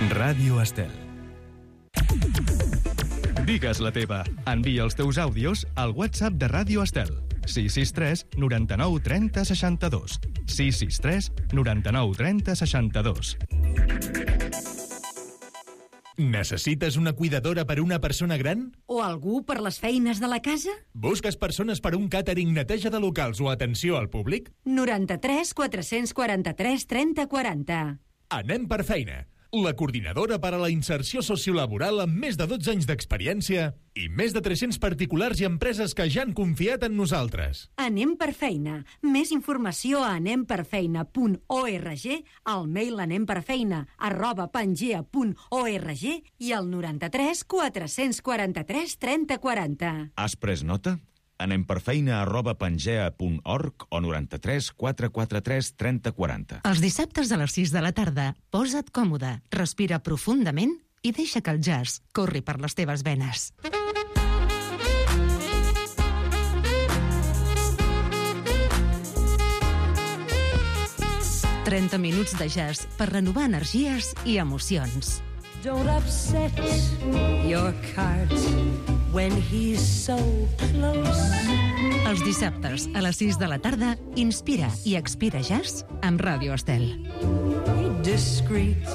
Ràdio Estel. Digues la teva. Envia els teus àudios al WhatsApp de Ràdio Estel. 663 99 30 62. 663 99 30 62. Necessites una cuidadora per una persona gran? O algú per les feines de la casa? Busques persones per un càtering, neteja de locals o atenció al públic? 93 443 30 40. Anem per feina. La coordinadora per a la inserció sociolaboral amb més de 12 anys d'experiència i més de 300 particulars i empreses que ja han confiat en nosaltres. Anem per feina. Més informació a anemperfeina.org, al mail anemperfeina@pangea.org i al 93 443 30 40. Has pres nota? anemperfeina@pangea.org o 93 443 30 40. Els dissabtes a les 6 de la tarda, posa't còmode, respira profundament i deixa que el jazz corri per les teves venes. «30 minuts de jazz per renovar energies i emocions». Don't upset your cart when he's so close. Els dissabtes a les 6 de la tarda, inspira i expira jazz amb Ràdio Estel. Discreet.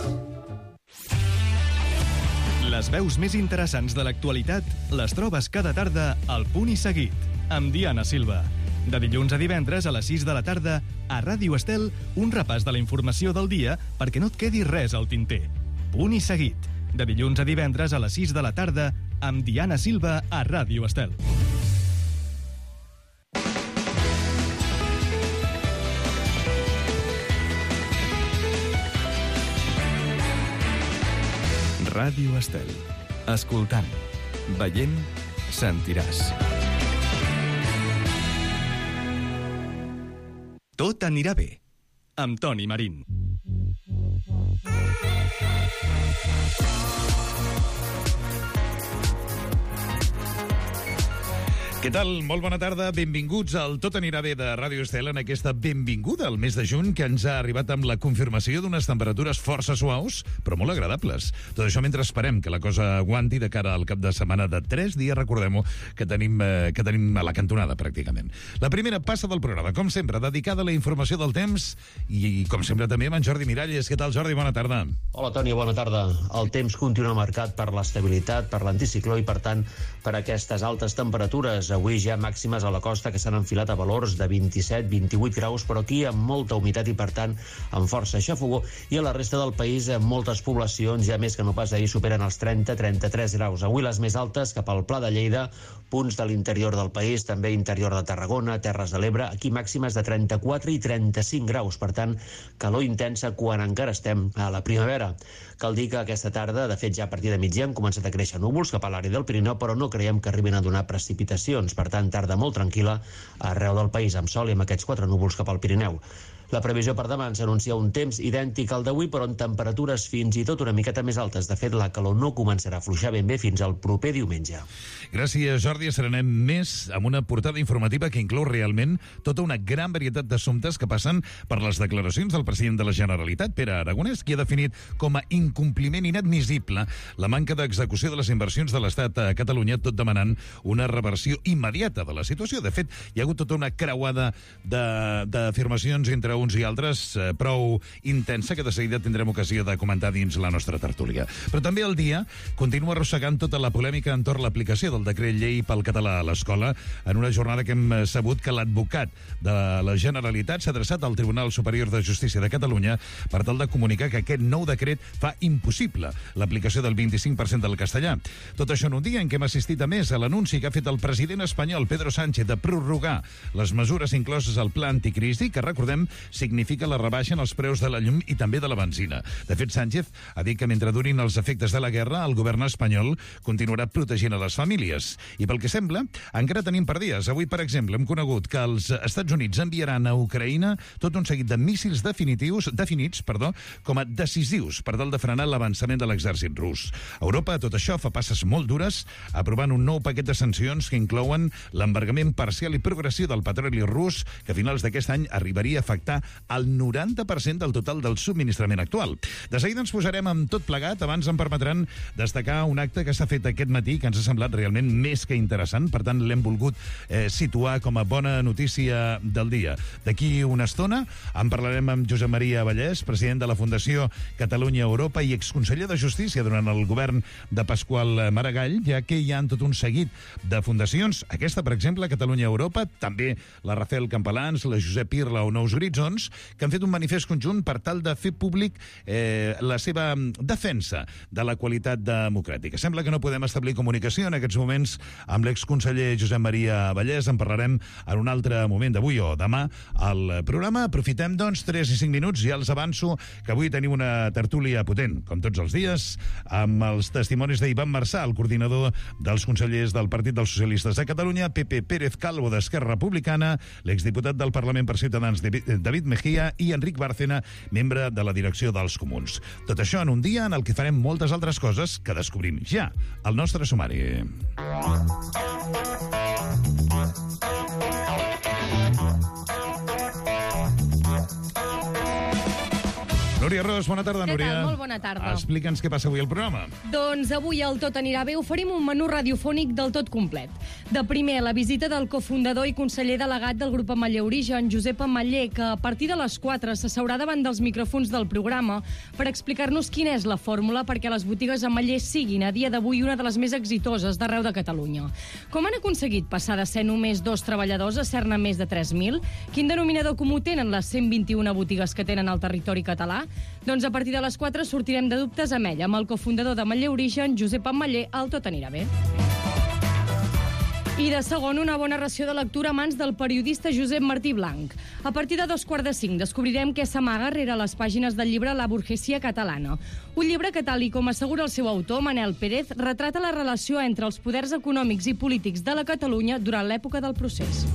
Les veus més interessants de l'actualitat les trobes cada tarda al Punt i Seguit, amb Diana Silva. De dilluns a divendres a les 6 de la tarda, a Ràdio Estel, un repàs de la informació del dia perquè no et quedi res al tinter. Punt i Seguit, de dilluns a divendres a les 6 de la tarda, amb Diana Silva a Ràdio Estel. Ràdio Estel. Escoltant, veient, sentiràs. Tot anirà bé, amb Toni Marín. Què tal? Molt bona tarda. Benvinguts al Tot anirà bé de Ràdio Estel en aquesta benvinguda al mes de juny que ens ha arribat amb la confirmació d'unes temperatures força suaus, però molt agradables. Tot això mentre esperem que la cosa aguanti de cara al cap de setmana de 3 dies, recordem-ho, que tenim a la cantonada, pràcticament. La primera passa del programa, com sempre, dedicada a la informació del temps i com sempre, també amb en Jordi Miralles. Què tal, Jordi? Bona tarda. Hola, Toni, bona tarda. El temps continua marcat per l'estabilitat, per l'anticicló i, per tant, per aquestes altes temperatures. Avui ja màximes a la costa que s'han enfilat a valors de 27-28 graus, però aquí amb molta humitat i, per tant, amb força xafogó. I a la resta del país, moltes poblacions, ja més que no pas ahir, superen els 30-33 graus. Avui les més altes cap al Pla de Lleida, punts de l'interior del país, també interior de Tarragona, Terres de l'Ebre, aquí màximes de 34 i 35 graus. Per tant, calor intensa quan encara estem a la primavera. Cal dir que aquesta tarda, de fet ja a partir de migdia, han començat a créixer núvols cap a l'àrea del Pirineu, però no creiem que arribin a donar precipitacions. Per tant, tarda molt tranquil·la arreu del país, amb sol i amb aquests 4 núvols cap al Pirineu. La previsió per demà ens anuncia un temps idèntic al d'avui, però amb temperatures fins i tot una miqueta més altes. De fet, la calor no començarà a afluixar ben bé fins al proper diumenge. Gràcies, Jordi. Serenem més amb una portada informativa que inclou realment tota una gran varietat d'assumptes que passen per les declaracions del president de la Generalitat, Pere Aragonès, qui ha definit com a incompliment inadmissible la manca d'execució de les inversions de l'Estat a Catalunya, tot demanant una reversió immediata de la situació. De fet, hi ha hagut tota una creuada d'afirmacions entre uns i altres prou intensa que de seguida tindrem ocasió de comentar dins la nostra tertúlia. Però també el dia continua arrossegant tota la polèmica entorn l'aplicació del decret llei pel català a l'escola, en una jornada que hem sabut que l'advocat de la Generalitat s'ha adreçat al Tribunal Superior de Justícia de Catalunya per tal de comunicar que aquest nou decret fa impossible l'aplicació del 25% del castellà. Tot això en un dia en què hem assistit a més a l'anunci que ha fet el president espanyol Pedro Sánchez de prorrogar les mesures incloses al pla anticrisi, que recordem significa la rebaixa en els preus de la llum i també de la benzina. De fet, Sánchez ha dit que mentre durin els efectes de la guerra, el govern espanyol continuarà protegint a les famílies. I pel que sembla, encara tenim per dies. Avui, per exemple, hem conegut que els Estats Units enviaran a Ucraïna tot un seguit de míssils definits com a decisius per tal de frenar l'avançament de l'exèrcit rus. Europa, tot això, fa passes molt dures, aprovant un nou paquet de sancions que inclouen l'embargament parcial i progressiu del petroli rus, que a finals d'aquest any arribaria a afectar representar el 90% del total del subministrament actual. De seguida ens posarem amb tot plegat. Abans em permetran destacar un acte que s'ha fet aquest matí que ens ha semblat realment més que interessant. Per tant, l'hem volgut situar com a bona notícia del dia. D'aquí una estona en parlarem amb Josep Maria Vallès, president de la Fundació Catalunya Europa i exconseller de Justícia durant el govern de Pasqual Maragall, ja que hi ha tot un seguit de fundacions. Aquesta, per exemple, Catalunya Europa, també la Rafael Campalans, la Josep Irla o Nous Horitzons, que han fet un manifest conjunt per tal de fer públic la seva defensa de la qualitat democràtica. Sembla que no podem establir comunicació en aquests moments amb l'exconseller Josep Maria Vallès. En parlarem en un altre moment d'avui o demà al programa. Aprofitem, doncs, 3 i 5 minuts. Ja els avanço que avui tenim una tertúlia potent, com tots els dies, amb els testimonis d'Ivan Marçà, el coordinador dels consellers del Partit dels Socialistes de Catalunya, Pepe Pérez Calvo d'Esquerra Republicana, l'exdiputat del Parlament per Ciutadans David Mejía i Enric Bárcena, membre de la direcció dels Comuns. Tot això en un dia en el que farem moltes altres coses que descobrim ja al nostre sumari. Núria Ros, bona tarda, Núria. Què tal? Molt bona tarda. Explica'ns què passa avui al programa. Doncs avui el Tot anirà bé oferim un menú radiofònic del tot complet. De primer, la visita del cofundador i conseller delegat del grup Ametller Origen, Josep Ametller, que a partir de les 4 s'asseurà davant dels micròfons del programa per explicar-nos quina és la fórmula perquè les botigues Ametller siguin a dia d'avui una de les més exitoses d'arreu de Catalunya. Com han aconseguit passar de ser només 2 treballadors a ser-ne més de 3.000? Quin denominador comú tenen les 121 botigues que tenen al territori català? Doncs a partir de les 4 sortirem de dubtes amb ell, amb el cofundador d'Ametller Origen, Josep Ametller, el Tot anirà bé. I de segon, una bona ració de lectura a mans del periodista Josep Martí Blanc. A partir de 2:45 descobrirem què s'amaga rere les pàgines del llibre La burgesia catalana. Un llibre que, tal i com assegura el seu autor, Manel Pérez, retrata la relació entre els poders econòmics i polítics de la Catalunya durant l'època del procés.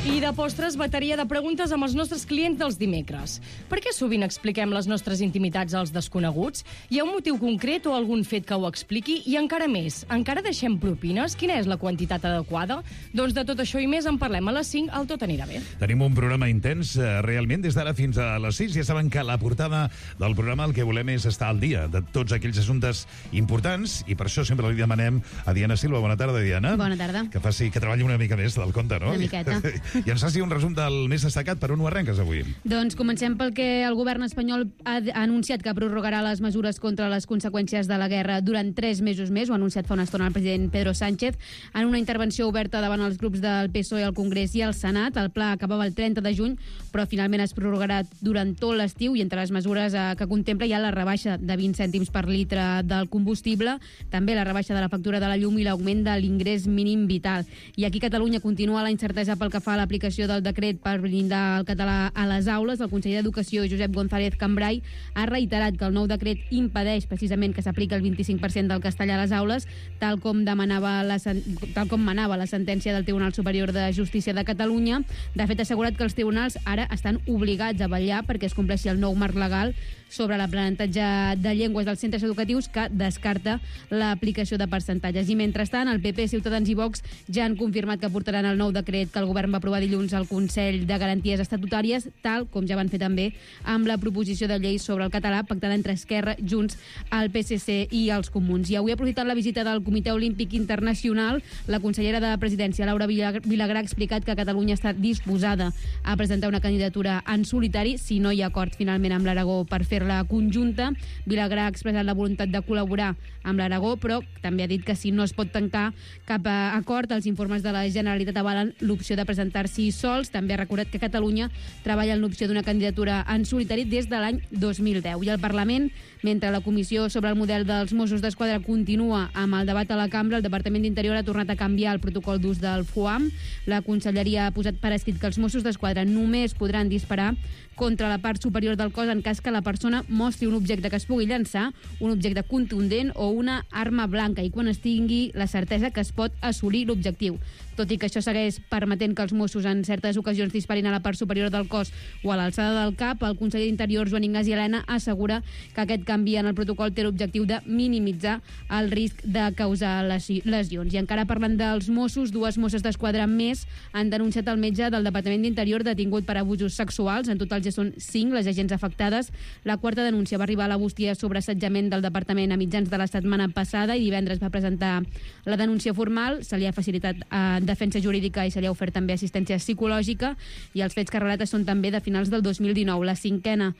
I de postres, bateria de preguntes amb els nostres clients dels dimecres. Per què sovint expliquem les nostres intimitats als desconeguts? Hi ha un motiu concret o algun fet que ho expliqui? I encara més, encara deixem propines? Quina és la quantitat adequada? Doncs de tot això i més en parlem a les 5, al Tot anirà bé. Tenim un programa intens, realment, des d'ara fins a les 6. Ja saben que a la portada del programa el que volem és estar al dia de tots aquells assumptes importants i per això sempre li demanem a Diana Silva. Bona tarda, Diana. Bona tarda. Que treballi una mica més del compte, no? Una miqueta. I ens faci un resum del més destacat. Per on ho arrenques avui? Doncs comencem pel que el govern espanyol ha anunciat que prorrogarà les mesures contra les conseqüències de la guerra durant 3 mesos més. Ho ha anunciat fa una estona el president Pedro Sánchez en una intervenció oberta davant els grups del PSOE al Congrés i al Senat. El pla acabava el 30 de juny, però finalment es prorrogarà durant tot l'estiu i entre les mesures que contempla hi ha la rebaixa de 20 cèntims per litre del combustible, també la rebaixa de la factura de la llum i l'augment de l'ingrés mínim vital. I aquí Catalunya continua la incertesa pel que fa a l'aplicació del decret per blindar el català a les aules. El conseller d'Educació, Josep González Cambray, ha reiterat que el nou decret impedeix precisament que s'apliqui el 25% del castellà a les aules, tal com manava la sentència del Tribunal Superior de Justícia de Catalunya. De fet, ha assegurat que els tribunals ara estan obligats a vetllar perquè es compleixi el nou marc legal sobre l'aprenentatge de llengües dels centres educatius, que descarta l'aplicació de percentatges. I mentrestant, el PP, Ciutadans i Vox ja han confirmat que portaran el nou decret que el govern va aprovar dilluns al Consell de Garanties Estatutàries, tal com ja van fer també amb la proposició de llei sobre el català pactada entre Esquerra, Junts, el PSC i els Comuns. I avui ha aprofitat la visita del Comitè Olímpic Internacional. La consellera de Presidència, Laura Vilagrà, ha explicat que Catalunya està disposada a presentar una candidatura en solitari si no hi ha acord finalment amb l'Aragó per fer-la conjunta. Vilagrà ha expressat la voluntat de col·laborar amb l'Aragó, però també ha dit que si no es pot tancar cap acord, els informes de la Generalitat avalen l'opció de presentar-s'hi sols. També ha recordat que Catalunya treballa en l'opció d'una candidatura en solitari des de l'any 2010. I el Parlament, mentre la Comissió sobre el model dels Mossos d'Esquadra continua amb el debat a la cambra, el Departament d'Interior ha tornat a canviar el protocol d'ús del FUAM. La Conselleria ha posat per escrit que els Mossos d'Esquadra només podran disparar contra la part superior del cos en cas que la persona mostri un objecte que es pugui llançar, un objecte contundent o una arma blanca, i quan es tingui la certesa que es pot assolir l'objectiu. Tot i que això segueix permetent que els Mossos Mossos en certes ocasions disparin a la part superior del cos o a l'alçada del cap, el conseller d'Interior, Joan Ignasi Elena, assegura que aquest canvi en el protocol té l'objectiu de minimitzar el risc de causar lesions. I encara parlant dels Mossos, 2 Mosses d'Esquadra més han denunciat el metge del Departament d'Interior detingut per abusos sexuals. En total ja són 5 les agents afectades. La 4ª denúncia va arribar a la bústia sobre assetjament del departament a mitjans de la setmana passada i divendres va presentar la denúncia formal. Se li ha facilitat defensa jurídica i se li ha ofert també assistència psicològica, i els fets que relata són també de finals del 2019. La 5ª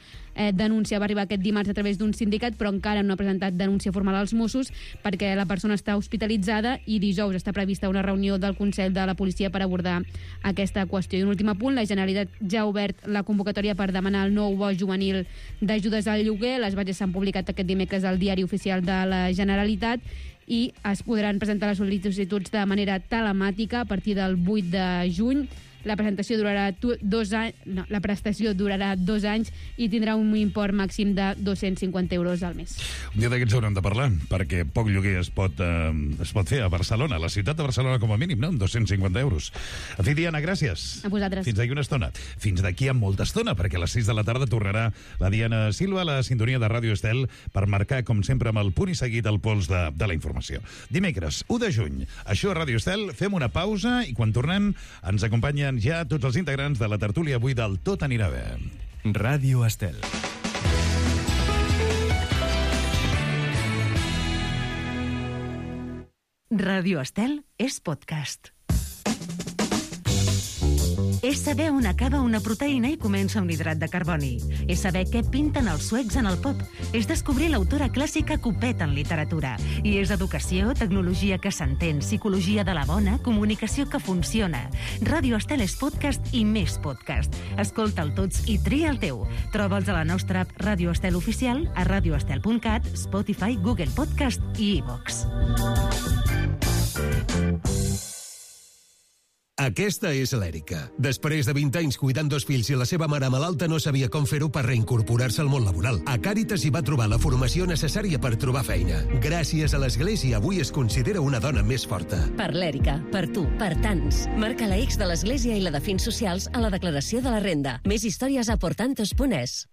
denúncia va arribar aquest dimarts a través d'un sindicat, però encara no ha presentat denúncia formal als Mossos perquè la persona està hospitalitzada i dijous està prevista una reunió del Consell de la Policia per abordar aquesta qüestió. I un últim apunt, la Generalitat ja ha obert la convocatòria per demanar el nou bo juvenil d'ajudes al lloguer. Les bases s'han publicat aquest dimecres al Diari Oficial de la Generalitat i es podran presentar les sol·licituds de manera telemàtica a partir del 8 de juny. La prestació durarà 2 anys i tindrà un import màxim de 250 euros al mes. Un dia d'aquests haurem de parlar, perquè poc lloguer es pot fer a Barcelona, a la ciutat de Barcelona com a mínim, no? Amb 250 euros. En fi, Diana, gràcies. A vosaltres. Fins d'aquí una estona. Fins d'aquí a molta estona, perquè a les 6 de la tarda tornarà la Diana Silva a la sintonia de Ràdio Estel per marcar, com sempre, amb el punt i seguit el pols de la informació. Dimecres, 1 de juny. Això a Ràdio Estel. Fem una pausa i quan tornem ens acompanyen ja tots els integrants de la tertúlia avui del Tot anirà bé. Ràdio Estel. Ràdio Estel és podcast. És saber on acaba una proteïna i comença un hidrat de carboni. És saber què pinten els suecs en el pop. És descobrir l'autora clàssica que ho peta en literatura. I és educació, tecnologia que s'entén, psicologia de la bona, comunicació que funciona. Ràdio Estel és podcast i més podcast. Escolta'l tots i tria el teu. Troba'ls a la nostra app Ràdio Estel Oficial, a radioestel.cat, Spotify, Google Podcast i iVox. Aquesta és l'Èrica. Després de 20 anys cuidant 2 fills i la seva mare malalta no sabia com fer-ho per reincorporar-se al món laboral. A Càritas hi va trobar la formació necessària per trobar feina. Gràcies a l'Església avui es considera una dona més forta. Per l'Èrica, per tu, per tants. Marca la X de l'Església i la de Fins Socials a la declaració de la renda. Més històries a portantos.es.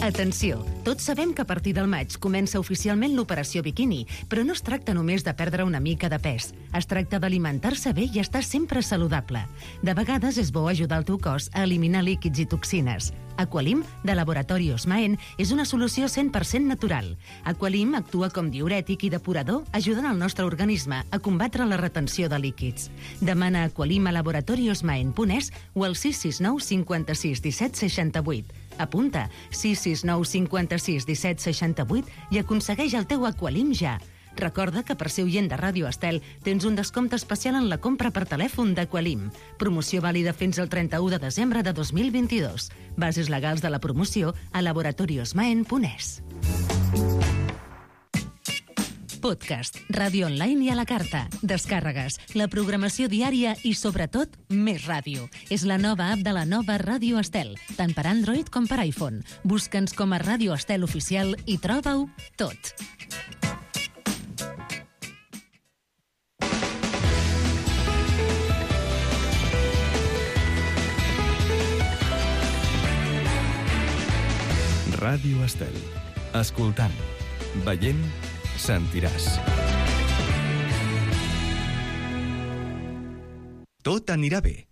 Atenció, tots sabem que a partir del maig comença oficialment l'operació biquini, però no es tracta només de perdre una mica de pes. Es tracta d'alimentar-se bé i estar sempre saludable. De vegades és bo ajudar el teu cos a eliminar líquids i toxines. Aqualim, de Laboratori Osmaen, és una solució 100% natural. Aqualim actua com diürètic i depurador, ajudant el nostre organisme a combatre la retenció de líquids. Demana Aqualim a laboratoriosmaen.es o al 669 56 17 68. Apunta 669 56 17 68 i aconsegueix el teu Aqualim ja. Recorda que per ser oient de Ràdio Estel tens un descompte especial en la compra per telèfon d'Aqualim. Promoció vàlida fins al 31 de desembre de 2022. Bases legals de la promoció a laboratoriosmaen.es. Podcast, ràdio online i a la carta, descàrregues, la programació diària i, sobretot, més ràdio. És la nova app de la nova Ràdio Estel, tant per Android com per iPhone. Busca'ns com a Ràdio Estel Oficial i troba-ho tot. Ràdio Estel. Escoltant, veient, sentiràs. Tot anirà bé,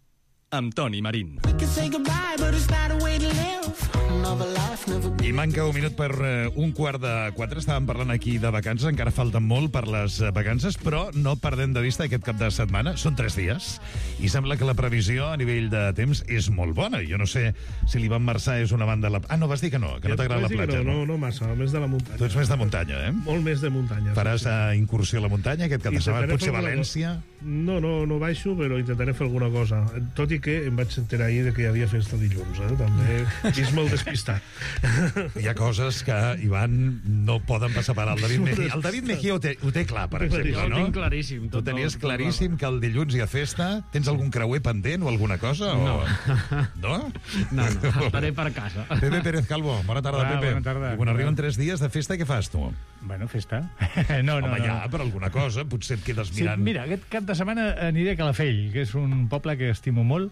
amb Toni Marín. I manca un minut per 3:45. Estàvem parlant aquí de vacances, encara falten molt per les vacances, però no perdem de vista aquest cap de setmana. Són 3 dies i sembla que la previsió a nivell de temps és molt bona. Jo no sé si l'Ivan Marçà és una banda... No, vas dir que no t'agrada la platja. No massa, més de la muntanya. Tu ets més de muntanya, eh? Molt més de muntanya. Faràs incursió a la muntanya aquest cap de setmana? Potser València? No baixo, però intentaré fer alguna cosa. Tot i que em vaig enterar ahir que hi havia festa dilluns, També és molt despistat. Hi ha coses que, Ivan, no poden passar per al David Mejía. El David Mejía ho té clar, per exemple, no? Jo ho tinc claríssim. Tu tenies claríssim que el dilluns hi ha festa. Tens algun creuer pendent o alguna cosa? No. No? No, estaré per casa. Pepe Pérez Calvo, bona tarda, Pepe. Bona tarda. I quan arriben 3 dies de festa, què fas, tu? Bueno, festa. Home, ja, per alguna cosa, potser et quedes mirant... Sí, mira, aquest cap de setmana aniré a Calafell, que és un poble que estimo molt,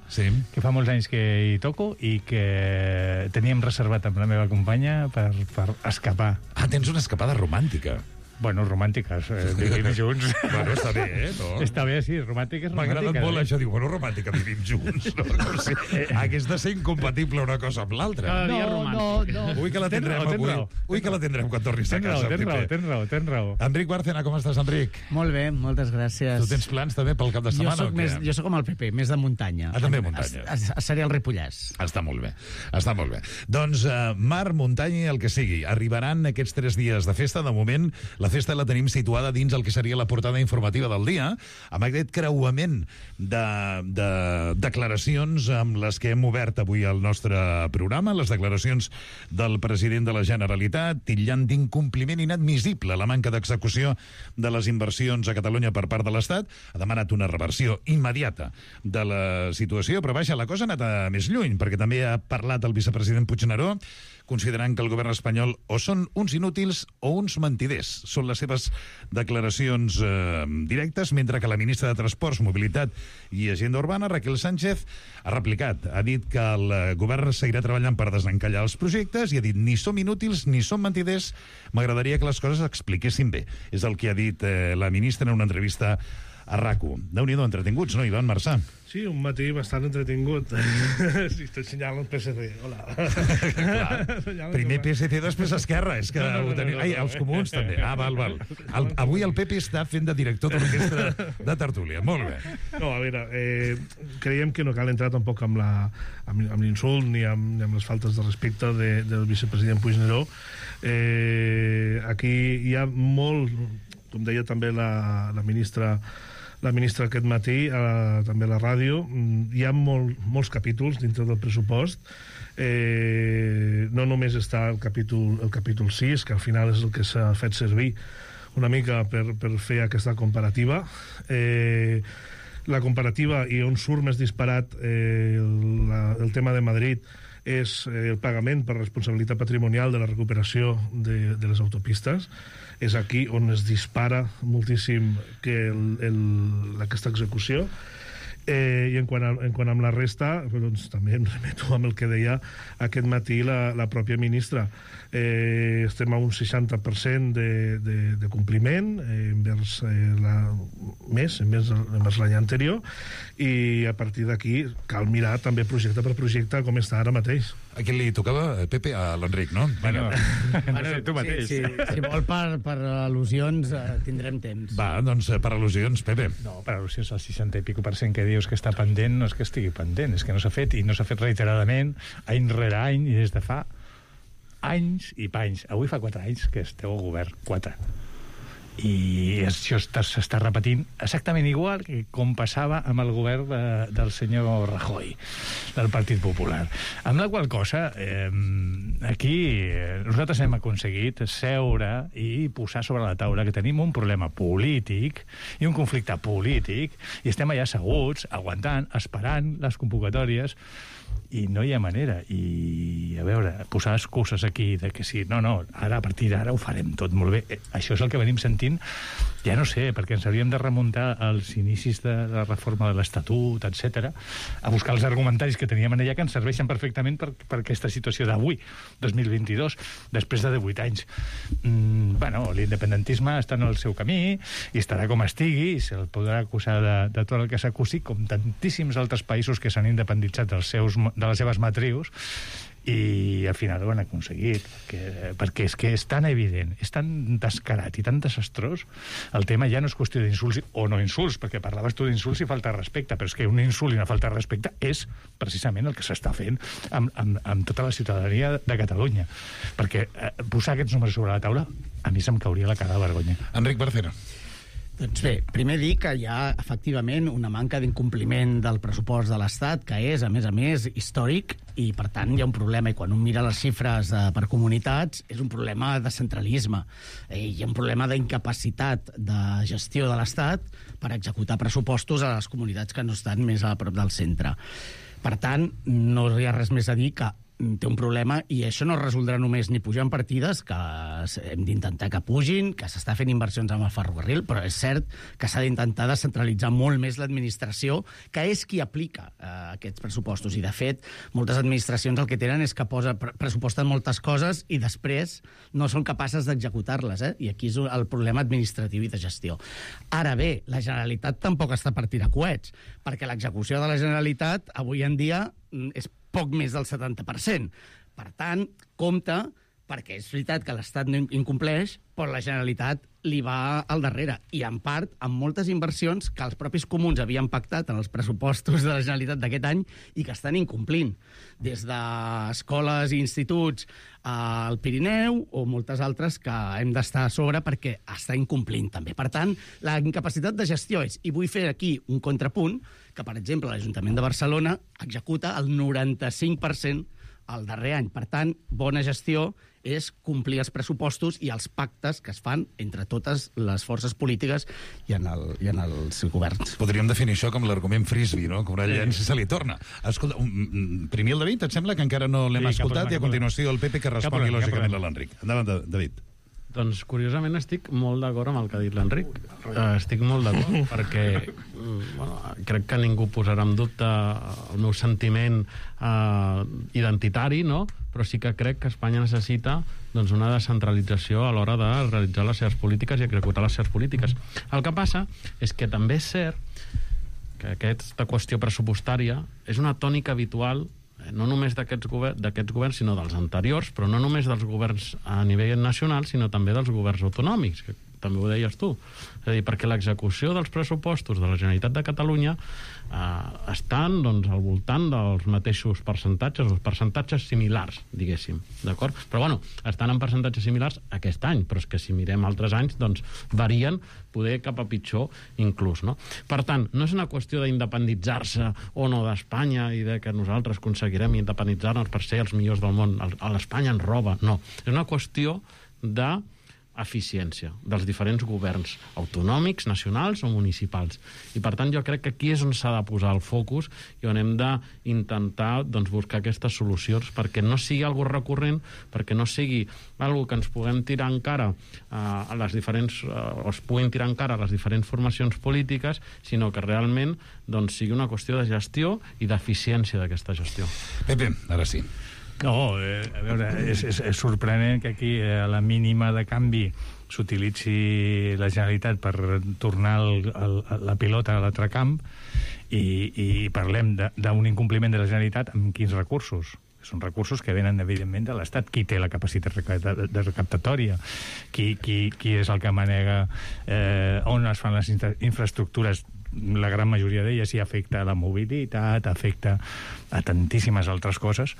que fa molts anys que hi toco i que teníem reservat amb la meva companya per escapar. Ah, tens una escapada romàntica. Bueno, romàntiques, vivim junts. Bueno, està bé, no? Està bé, sí, romàntiques. M'ha agradat molt això, diu, bueno, romàntica, vivim junts. No? Com si hagués de ser incompatible una cosa amb l'altra. No. Ui, que la tindrem avui. Ui, que la tindrem quan tornis a casa. Tens raó. Enric Bárcena, com estàs, Enric? Molt bé, moltes gràcies. Tu tens plans també pel cap de setmana o què? Jo soc com el PP, més de muntanya. Ah, també muntanya. Seré el Ripollès. Està molt bé, està molt bé. Doncs mar, muntanya i el que sigui. Arribaran aquests 3 dies de festa. De moment, la festa la tenim situada dins el que seria la portada informativa del dia, amb aquest creuament de declaracions amb les que hem obert avui el nostre programa, les declaracions del president de la Generalitat, titllant d'incompliment inadmissible la manca d'execució de les inversions a Catalunya per part de l'Estat. Ha demanat una reversió immediata de la situació, però vaja, la cosa ha anat més lluny, perquè també ha parlat el vicepresident Puigneró, considerant que el govern espanyol o són uns inútils o uns mentiders. Són les seves declaracions directes, mentre que la ministra de Transports, Mobilitat i Agenda Urbana, Raquel Sánchez, ha replicat. Ha dit que el govern seguirà treballant per desencallar els projectes i ha dit ni som inútils ni som mentiders. M'agradaria que les coses expliquessin bé. És el que ha dit la ministra en una entrevista a RAC1. Déu-n'hi-do, entretinguts, no, Ivan Marçà? Sí, un matí bastant entretingut. Sí, estoy senyalando el PSC. Hola. Primer PSC, després Esquerra. És que ho teniu... Ai, els comuns també. Ah, val. Avui el PP està fent de director d'orquestra de tertúlia. Molt bé. No, a veure, creiem que no cal entrar tampoc amb l'insult ni amb les faltes de respecte del vicepresident Puigneró. Aquí hi ha molt, com deia també la ministra aquest matí, també a la ràdio, hi ha molts capítols dintre del pressupost. No només està el capítol 6, que al final és el que s'ha fet servir una mica per fer aquesta comparativa. La comparativa, i on surt més disparat el tema de Madrid, és el pagament per responsabilitat patrimonial de la recuperació de les autopistes. És aquí on es dispara moltíssim aquesta execució. I en quant a la resta, doncs, també em remeto amb el que deia aquest matí la pròpia ministra. Estem a un 60% de compliment envers l'any anterior, i a partir d'aquí cal mirar també projecte per projecte com està ara mateix. A qui li tocava, Pepe? A l'Enric, no? Bueno, tu mateix. Si vol per al·lusions tindrem temps. Va, doncs per al·lusions, Pepe. No, per al·lusions al 60 i pico % que dius que està pendent, no és que estigui pendent, és que no s'ha fet, i no s'ha fet reiteradament, any rere any, i des de fa anys i panys. Avui fa 4 anys que esteu al govern, 4. I això s'està repetint exactament igual que com passava amb el govern del senyor Rajoy, del Partit Popular. Amb la qual cosa, aquí nosaltres hem aconseguit seure i posar sobre la taula que tenim un problema polític i un conflicte polític, i estem allà asseguts, aguantant, esperant les convocatòries, i no hi ha manera. I, a veure, posar excuses aquí de que sí, no, ara, a partir d'ara ho farem tot molt bé. Això és el que venim sentint, ja no sé, perquè ens hauríem de remuntar als inicis de la reforma de l'Estatut, etc., a buscar els argumentaris que teníem en allà, que ens serveixen perfectament per aquesta situació d'avui, 2022, després de 18 anys. Bueno, l'independentisme està en el seu camí, i estarà com estigui, i se'l podrà acusar de tot el que s'acusi, com tantíssims altres països que s'han independitzat de les seves matrius, i al final ho han aconseguit, perquè és que és tan evident, és tan descarat i tan desastrós. El tema ja no és qüestió d'insults o no insults, perquè parlaves tu d'insults i falta de respecte, però és que un insult i una falta de respecte és precisament el que s'està fent amb tota la ciutadania de Catalunya, perquè posar aquests números sobre la taula a mi se'm cauria la cara de vergonya. Enric Bárcena. Doncs bé, primer dir que hi ha efectivament una manca d'incompliment del pressupost de l'Estat, que és, a més, històric, i per tant hi ha un problema, i quan un mira les xifres per comunitats és un problema de centralisme, hi ha un problema d'incapacitat de gestió de l'Estat per executar pressupostos a les comunitats que no estan més a prop del centre. Per tant, no hi ha res més a dir que té un problema, i això no es resoldrà només ni pujant partides, que hem d'intentar que pugin, que s'està fent inversions amb el ferrocarril, però és cert que s'ha d'intentar descentralitzar molt més l'administració, que és qui aplica aquests pressupostos. I, de fet, moltes administracions el que tenen és que pressuposten moltes coses i després no són capaces d'executar-les, I aquí és el problema administratiu i de gestió. Ara bé, la Generalitat tampoc està per tirar coets, perquè l'execució de la Generalitat avui en dia és poc més del 70%. Per tant, compte, perquè és veritat que l'Estat no incompleix, però la Generalitat li va al darrere. I, en part, amb moltes inversions que els propis comuns havien pactat en els pressupostos de la Generalitat d'aquest any i que estan incomplint. Des d'escoles i instituts al Pirineu o moltes altres que hem d'estar a sobre perquè està incomplint, també. Per tant, la incapacitat de gestió és, i vull fer aquí un contrapunt, que, per exemple, l'Ajuntament de Barcelona executa el 95% el darrer any. Per tant, bona gestió és complir els pressupostos i els pactes que es fan entre totes les forces polítiques i en els governs. Podríem definir això com l'argument frisbee, no? Com una llença se li torna. Escolta, primer el David, et sembla que encara no l'hem escoltat, i a continuació el Pepe que respongui lògicament a l'Enric. Endavant, David. Doncs, curiosament, estic molt d'acord amb el que ha dit l'Enric. Estic molt d'acord, perquè crec que ningú posarà en dubte el meu sentiment identitari, no? Però sí que crec que Espanya necessita una descentralització a l'hora de realitzar les seves polítiques i executar les seves polítiques. El que passa és que també és cert que aquesta qüestió pressupostària és una tònica habitual no només d'aquests governs, sinó dels anteriors, però no només dels governs a nivell nacional, sinó també dels governs autonòmics, que també ho deies tu. És a dir, perquè l'execució dels pressupostos de la Generalitat de Catalunya estan al voltant dels mateixos percentatges, o percentatges similars, diguéssim, d'acord? Però, estan en percentatges similars aquest any, però és que si mirem altres anys, varien, poder cap a pitjor inclús, no? Per tant, no és una qüestió d'independitzar-se o no d'Espanya i de que nosaltres aconseguirem independitzar-nos per ser els millors del món. A l'Espanya ens roba, no. És una qüestió de eficiència dels diferents governs autonòmics, nacionals o municipals. I, per tant, jo crec que aquí és on s'ha de posar el focus i on hem d'intentar buscar aquestes solucions perquè no sigui algo recurrent, perquè no sigui algo que ens puguem tirar en cara a les diferents, o es puguin tirar en cara a les diferents formacions polítiques, sinó que realment sigui una qüestió de gestió i d'eficiència d'aquesta gestió. Pepe, ara sí. No, a veure, és sorprenent que aquí a la mínima de canvi s'utilitzi la Generalitat per tornar la pilota a l'altre camp i parlem d'un incompliment de la Generalitat amb quins recursos? Són recursos que venen, evidentment, de l'Estat. Qui té la capacitat de recaptatòria? Qui és el que manega on es fan les infraestructures? La gran majoria d'elles, i afecta la mobilitat, afecta a tantíssimes altres coses.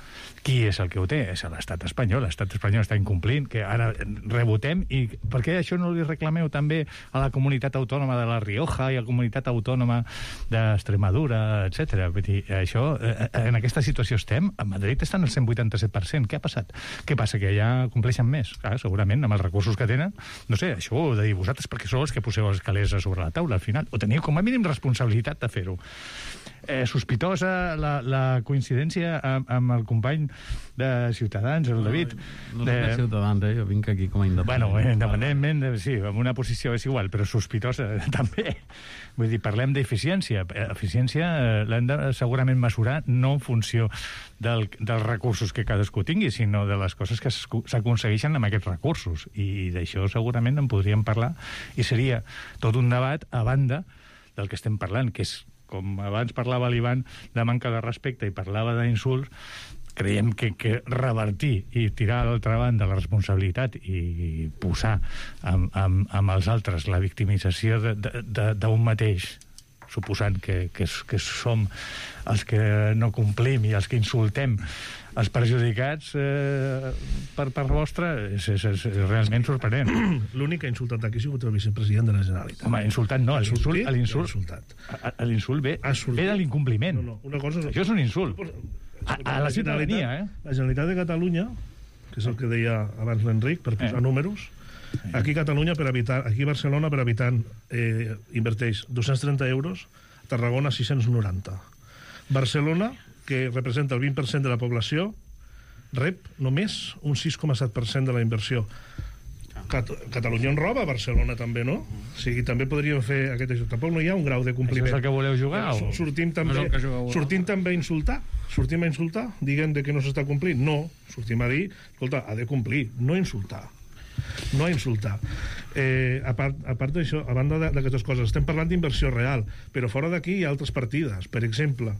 Qui és el que ho té? És l'estat espanyol. L'estat espanyol està incomplint, que ara rebotem. I per què això no li reclameu també a la comunitat autònoma de La Rioja i a la comunitat autònoma d'Extremadura, etc. Vull dir, això, en aquesta situació estem. A Madrid estan al 187%. Què ha passat? Què passa? Que allà compleixen més? Clar, segurament, amb els recursos que tenen. No sé, això ho heu de dir vosaltres, perquè sou els que poseu els calés a sobre la taula, al final. Ho teniu com a mínim responsabilitat de fer-ho. Sospitosa la coincidència amb el company de Ciutadans, el David. No soc de Ciutadans, jo vinc aquí com a independent. Bueno, independentment, sí, amb una posició és igual, però sospitosa també. Vull dir, parlem d'eficiència. Eficiència l'hem de segurament mesurar no en funció dels recursos que cadascú tingui, sinó de les coses que s'aconsegueixen amb aquests recursos. I d'això segurament en podríem parlar, i seria tot un debat a banda del que estem parlant, que és, com abans parlava l'Ivan, de manca de respecte i parlava d'insults. Creiem que revertir i tirar a l'altra banda la responsabilitat i posar amb els altres la victimització d'un mateix, suposant que som els que no complim i els que insultem els perjudicats per part vostra, és realment sorprenent. L'únic que ha insultat aquí ha sigut el vicepresident de la Generalitat. Home, insultat no, l'insult ve de l'incompliment. Això és un insult. A la ciutadania, La Generalitat de Catalunya, que és el que deia abans l'Enric, per posar números, aquí a Catalunya, aquí a Barcelona, per habitant, inverteix 230 euros, Tarragona 690. Barcelona, que representa el 20% de la població, rep només un 6,7% de la inversió. Catalunya en roba, Barcelona també, no? O sigui, també podríem fer aquest això. Tampoc no hi ha un grau de compliment. Això és el que voleu jugar? Sortim també a insultar? Sortim a insultar? Diguem de que no s'està complint? No. Sortim a dir, escolta, ha de complir, no insultar. No a insultar. A part d'això, a banda d'aquestes coses, estem parlant d'inversió real, però fora d'aquí hi ha altres partides. Per exemple,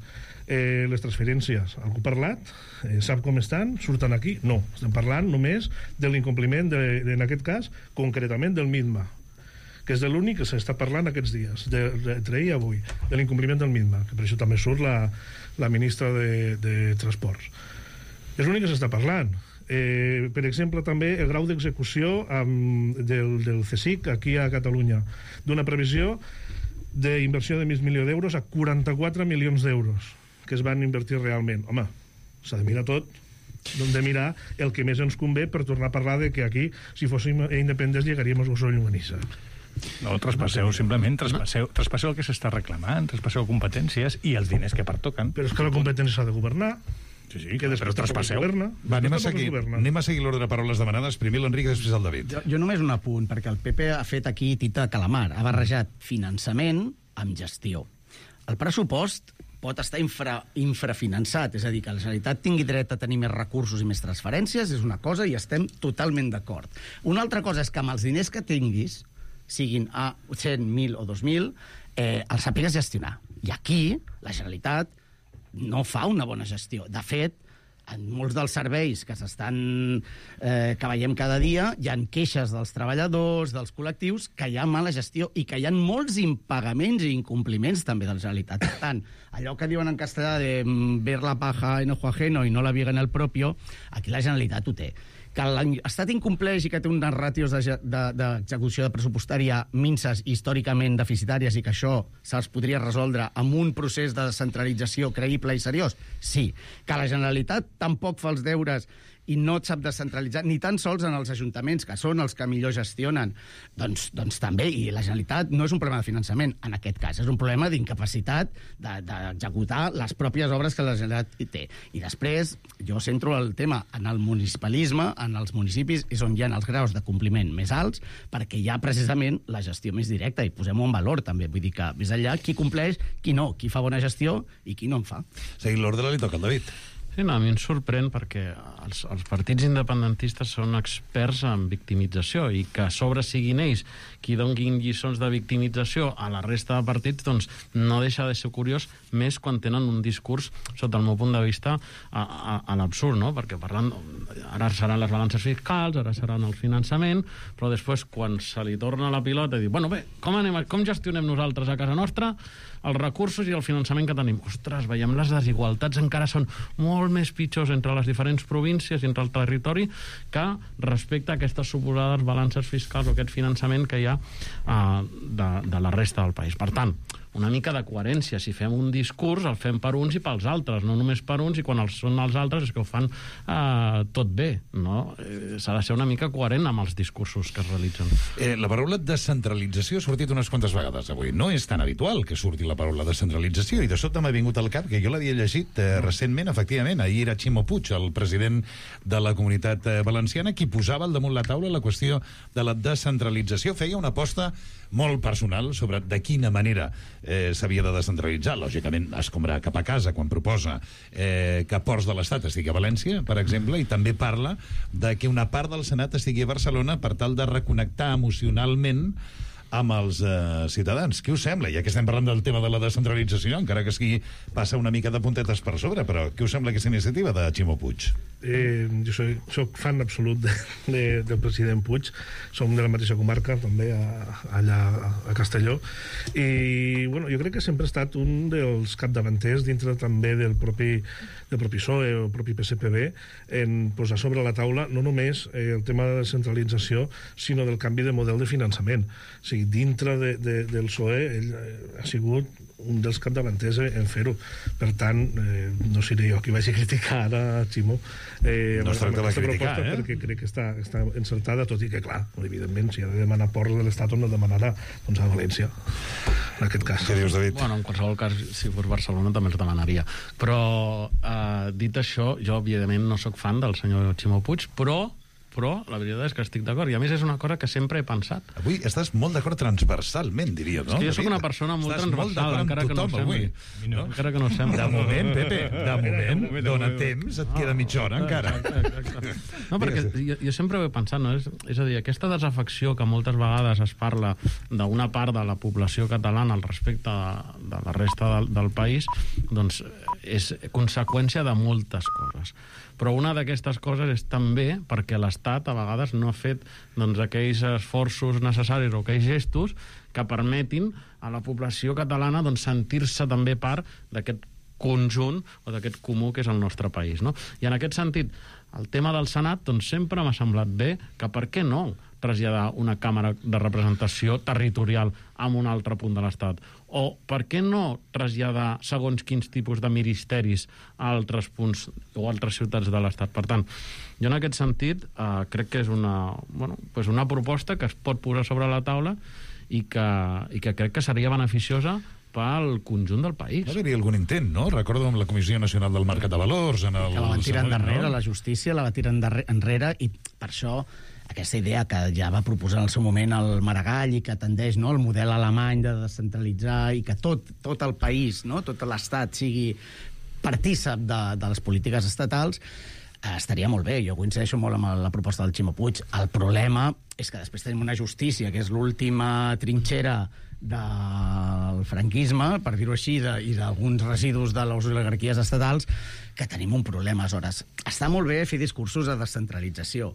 les transferències. Algú ha parlat? Sap com estan? Surten aquí? No. Estem parlant només de l'incompliment, en aquest cas, concretament del MITMA, que és de l'únic que s'està parlant aquests dies, entre ahir i avui, de l'incompliment del MITMA, que per això també surt la ministra de Transports. És l'únic que s'està parlant. Per exemple, també el grau d'execució del CSIC aquí a Catalunya, d'una previsió d'inversió de mig milió d'euros a 44 milions d'euros que es van invertir realment. Home, s'ha de mirar tot, hem de mirar el que més ens convé per tornar a parlar de que aquí, si fóssim independents, llegaríem a Osona i Llonganissa. No, traspasseu, simplement, traspasseu el que s'està reclamant, traspasseu competències i els diners que pertoquen. Però és que la competència s'ha de governar. Sí, però traspasseu. Va, anem a seguir l'ordre de paraules demanades. Primer l'Enric, després el David. Jo només un apunt, perquè el PP ha fet aquí tita de calamar. Ha barrejat finançament amb gestió. El pressupost pot estar infrafinançat, és a dir, que la Generalitat tingui dret a tenir més recursos i més transferències, és una cosa i estem totalment d'acord. Una altra cosa és que amb els diners que tinguis, siguin a 100, 1.000 o 2.000, els sàpigues gestionar. I aquí la Generalitat no fa una bona gestió. De fet, en molts dels serveis que veiem cada dia hi ha queixes dels treballadors, dels col·lectius, que hi ha mala gestió i que hi ha molts impagaments i incompliments també de la Generalitat. Per tant, allò que diuen en castellà de ver la paja en ojo ajeno i no la viga en el propio, aquí la Generalitat ho té. Que l'Estat incompleix i que té unes ràtios d'execució pressupostària minses històricament deficitàries i que això se'ls podria resoldre amb un procés de descentralització creïble i seriós? Sí. Que la Generalitat tampoc fa els deures i no et sap descentralitzar, ni tan sols en els ajuntaments, que són els que millor gestionen, doncs també, i la Generalitat no és un problema de finançament, en aquest cas, és un problema d'incapacitat d'executar les pròpies obres que la Generalitat té. I després, jo centro el tema en el municipalisme, en els municipis, és on hi ha els graus de compliment més alts, perquè hi ha precisament la gestió més directa, i posem-ho en valor, també. Vull dir que, més enllà, qui compleix, qui no, qui fa bona gestió i qui no en fa. Seguint l'ordre, li toca al David. Sí, no, a mi em sorprèn perquè els partits independentistes són experts en victimització i que a sobre siguin ells qui donin lliçons de victimització a la resta de partits, doncs no deixa de ser curiós, més quan tenen un discurs, sota el meu punt de vista, a l'absurd, no? Perquè parlant, ara seran les balances fiscals, ara seran el finançament, però després, quan se li torna la pilota i diu, bueno, bé, com gestionem nosaltres a casa nostra els recursos i el finançament que tenim? Ostres, veiem les desigualtats encara són molt més pitjors entre les diferents províncies i entre el territori que respecte a aquestes suposades balances fiscals o aquest finançament que hi ha de la resta del país. Per tant, una mica de coherència. Si fem un discurs, el fem per uns i pels altres, no només per uns, i quan són els altres és que ho fan tot bé, no? S'ha de ser una mica coherent amb els discursos que es realitzen. La paraula descentralització ha sortit unes quantes vegades avui. No és tan habitual que surti la paraula descentralització, i de sobte m'ha vingut al cap que jo l'havia llegit recentment, efectivament. Ahir era Ximo Puig, el president de la Comunitat Valenciana, qui posava al damunt la taula la qüestió de la descentralització. Feia una aposta molt personal sobre de quina manera s'havia de descentralitzar. Lògicament, escombrar cap a casa quan proposa que ports de l'Estat estigui a València, per exemple, i també parla de que una part del Senat estigui a Barcelona per tal de reconnectar emocionalment amb els ciutadans. Què us sembla? Ja que estem parlant del tema de la descentralització, encara que sigui passa una mica de puntetes per sobre, però què us sembla aquesta iniciativa de Ximo Puig? Jo soc fan absolut del president Puig. Som de la mateixa comarca, també, allà a Castelló. I, bueno, jo crec que sempre ha estat un dels capdavanters dintre també del propi PSOE o el propi PSPB en posar sobre la taula no només el tema de la descentralització, sinó del canvi de model de finançament. O sigui, dintre del PSOE ell ha sigut un dels capdavanters en fer-ho. Per tant, no seré jo qui vagi a criticar a Ximo, No es tracta de criticar, perquè crec que està encertada, tot i que, clar, evidentment, si ha de demanar ports de l'Estat, on no demanarà? Doncs a València, en aquest cas. Què dius, David? Bueno, en qualsevol cas, si fos Barcelona també els demanaria. Però, dit això, jo, evidentment, no sóc fan del senyor Ximo Puig, però la veritat és que estic d'acord. I a més és una cosa que sempre he pensat. Avui estàs molt d'acord transversalment, diria, no? És que jo sóc una persona molt transversal, encara que no ho sembli. Encara que no ho sembli. De moment, Pepe, de moment, dona temps, et queda mitja hora encara. No, perquè jo sempre ho he pensat, no? És a dir, aquesta desafecció que moltes vegades es parla d'una part de la població catalana al respecte de la resta del país, doncs és conseqüència de moltes coses. Però una d'aquestes coses és també perquè l'Estat a vegades no ha fet aquells esforços necessaris o aquells gestos que permetin a la població catalana sentir-se també part d'aquest conjunt o d'aquest comú que és el nostre país, no? I en aquest sentit, el tema del Senat sempre m'ha semblat bé que per què no traslladar una càmera de representació territorial a un altre punt de l'Estat? O per què no traslladar segons quins tipus de ministeris a altres punts o altres ciutats de l'Estat? Per tant, jo en aquest sentit crec que és una proposta que es pot posar sobre la taula i que crec que seria beneficiosa pel conjunt del país. Va haver-hi algun intent, no? Recordo amb la Comissió Nacional del Mercat de Valors... Que la van tirar endarrere, la justícia la va tirar enrere, i per això aquesta idea que ja va proposar en el seu moment el Maragall i que tendeix al model alemany de descentralitzar i que tot el país, tot l'Estat sigui partícip de les polítiques estatals, estaria molt bé. Jo coincideixo molt amb la proposta del Ximo Puig. El problema és que després tenim una justícia que és l'última trinxera del franquisme, per dir-ho així, i d'alguns residus de les oligarquies estatals, que tenim un problema. Aleshores, està molt bé fer discursos de descentralització,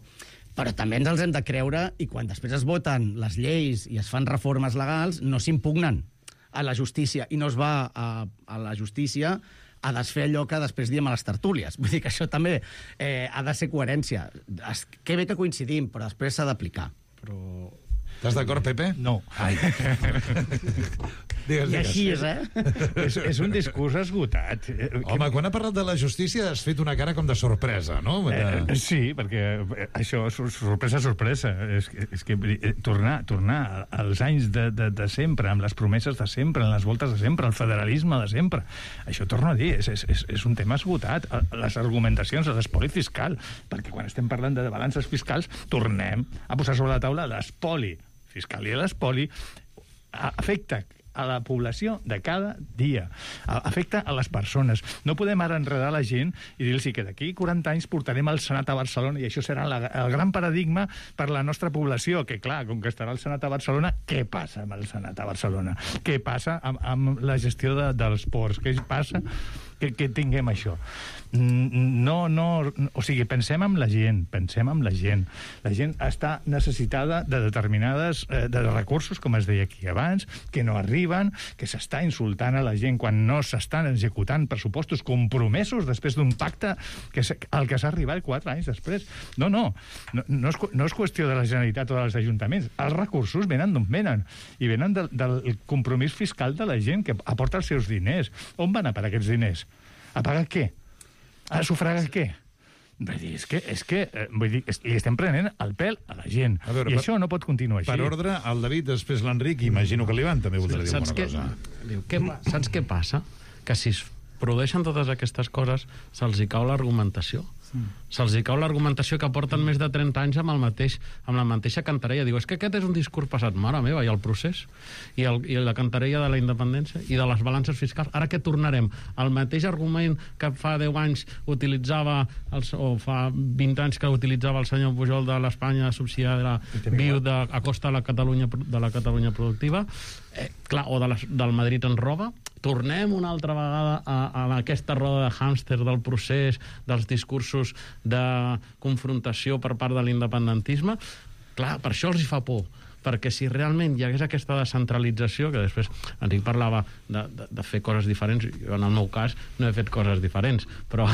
però també ens els hem de creure, i quan després es voten les lleis i es fan reformes legals, no s'impugnen a la justícia, i no es va a la justícia a desfer allò que després diem a les tertúlies. Vull dir que això també ha de ser coherència. Que bé que coincidim, però després s'ha d'aplicar. Estàs d'acord, Pepe? No. Ai. Digues. I així és, És un discurs esgotat. Home, quan ha parlat de la justícia has fet una cara com de sorpresa, no? Sí, perquè això és sorpresa. És que tornar als anys de sempre, amb les promeses de sempre, en les voltes de sempre, el federalisme de sempre, això torno a dir, és un tema esgotat. Les argumentacions de l'espoli fiscal, perquè quan estem parlant de balances fiscals, tornem a posar sobre la taula l'espoli fiscal, i l'espoli afecta a la població de cada dia, afecta a les persones. No podem ara enredar la gent i dir-los que d'aquí 40 anys portarem el Senat a Barcelona i això serà el gran paradigma per la nostra població, que clar, com que estarà el Senat a Barcelona, què passa amb el Senat a Barcelona? Què passa amb la gestió dels ports? Què passa que tinguem això? O sigui, pensem en la gent. La gent està necessitada de determinades de recursos, com es deia aquí abans, que no arriben, que s'està insultant a la gent quan no s'estan executant pressupostos compromesos després d'un pacte al que s'ha arribat 4 anys després. No és qüestió de la Generalitat o dels ajuntaments. Els recursos venen d'on venen, i venen del compromís fiscal de la gent que aporta els seus diners. On van a parar aquests diners? A pagar què? A sufragar què? Vull dir, li estem prenent el pèl a la gent. I això no pot continuar així. Per ordre, el David, després l'Enric, i imagino que l'Ivan també voldrà dir alguna cosa. Saps què passa? Que si es produeixen totes aquestes coses, se'ls hi cau l'argumentació. Se'ls hi cau l'argumentació que porten més de 30 anys amb la mateixa cantarella. Diu, és que aquest és un discurs passat. Mare meva, i el procés? I la cantarella de la independència? I de les balances fiscals? Ara què tornarem? El mateix argument que fa 10 anys utilitzava, o fa 20 anys que utilitzava el senyor Pujol de l'Espanya subsidiària viu a costa de la Catalunya productiva, o del Madrid en roba. Tornem una altra vegada a aquesta roda de hàmster del procés, dels discursos de confrontació per part de l'independentisme. Clar, per això els hi fa por. perquè si realment hi hagués aquesta descentralització, que després Enric parlava de fer coses diferents, jo en el meu cas no he fet coses diferents, però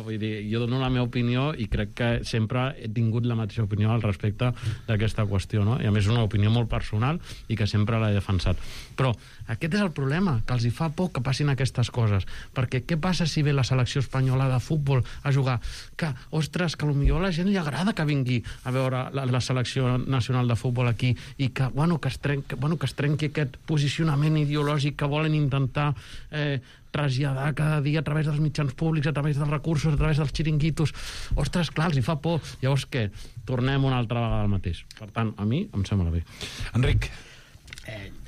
vull dir, jo dono la meva opinió i crec que sempre he tingut la mateixa opinió al respecte d'aquesta qüestió, no? I a més una opinió molt personal i que sempre l'he defensat. Però aquest és el problema, que els hi fa por que passin aquestes coses, perquè què passa si ve la selecció espanyola de futbol a jugar? Que, ostres, que potser a la gent li agrada que vingui a veure la selecció nacional de futbol aquí i que es trenqui aquest posicionament ideològic que volen intentar traslladar cada dia a través dels mitjans públics, a través dels recursos, a través dels xiringuitos. Ostres, clar, els hi fa por. Llavors què? Tornem una altra vegada al mateix. Per tant, a mi em sembla bé. Enric.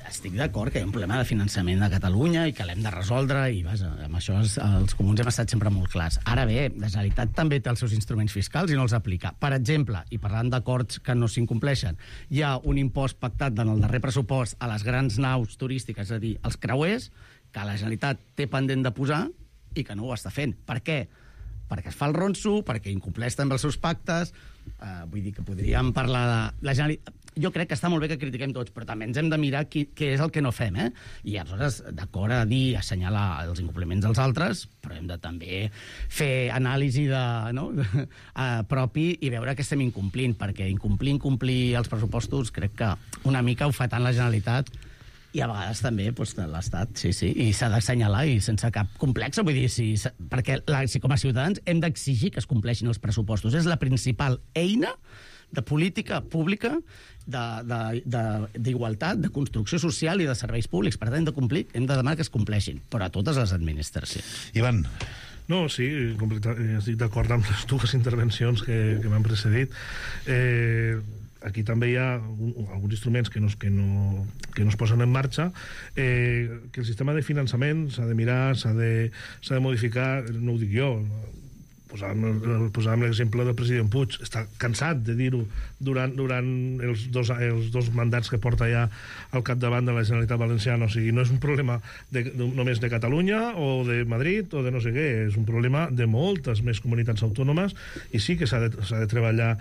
Estic d'acord que hi ha un problema de finançament de Catalunya i que l'hem de resoldre i vaja, amb això els comuns hem estat sempre molt clars. Ara bé, la Generalitat també té els seus instruments fiscals i no els aplica. Per exemple, i parlant d'acords que no s'incompleixen, hi ha un impost pactat en el darrer pressupost a les grans naus turístiques, és a dir, els creuers, que la Generalitat té pendent de posar i que no ho està fent. Per què? Perquè es fa el ronso, perquè incompleix també els seus pactes. Vull dir que podríem parlar de... La Generalitat... Jo crec que està molt bé que critiquem tots, però també ens hem de mirar què és el que no fem, eh? I aleshores, d'acord a dir, assenyalar els incompliments dels altres, però hem de també fer anàlisi propi i veure què estem incomplint, perquè incomplir els pressupostos crec que una mica ho fa tant la Generalitat i a vegades també l'Estat, sí, i s'ha d'assenyalar i sense cap complex, vull dir, perquè si com a ciutadans hem d'exigir que es compleixin els pressupostos. És la principal eina de política pública, d'igualtat, de construcció social i de serveis públics. Per tant, hem de complir, hem de demanar que es compleixin, però a totes les administracions. Ivan. No, sí, estic d'acord amb les dues intervencions que m'han precedit. Aquí també hi ha alguns instruments que no es posen en marxa, que el sistema de finançament s'ha de mirar, s'ha de modificar, no ho dic jo, posàvem l'exemple del president Puig, està cansat de dir-ho durant els dos mandats que porta ja al capdavant de la Generalitat Valenciana. O sigui, no és un problema només de Catalunya o de Madrid o de no sé què, és un problema de moltes més comunitats autònomes i sí que s'ha de treballar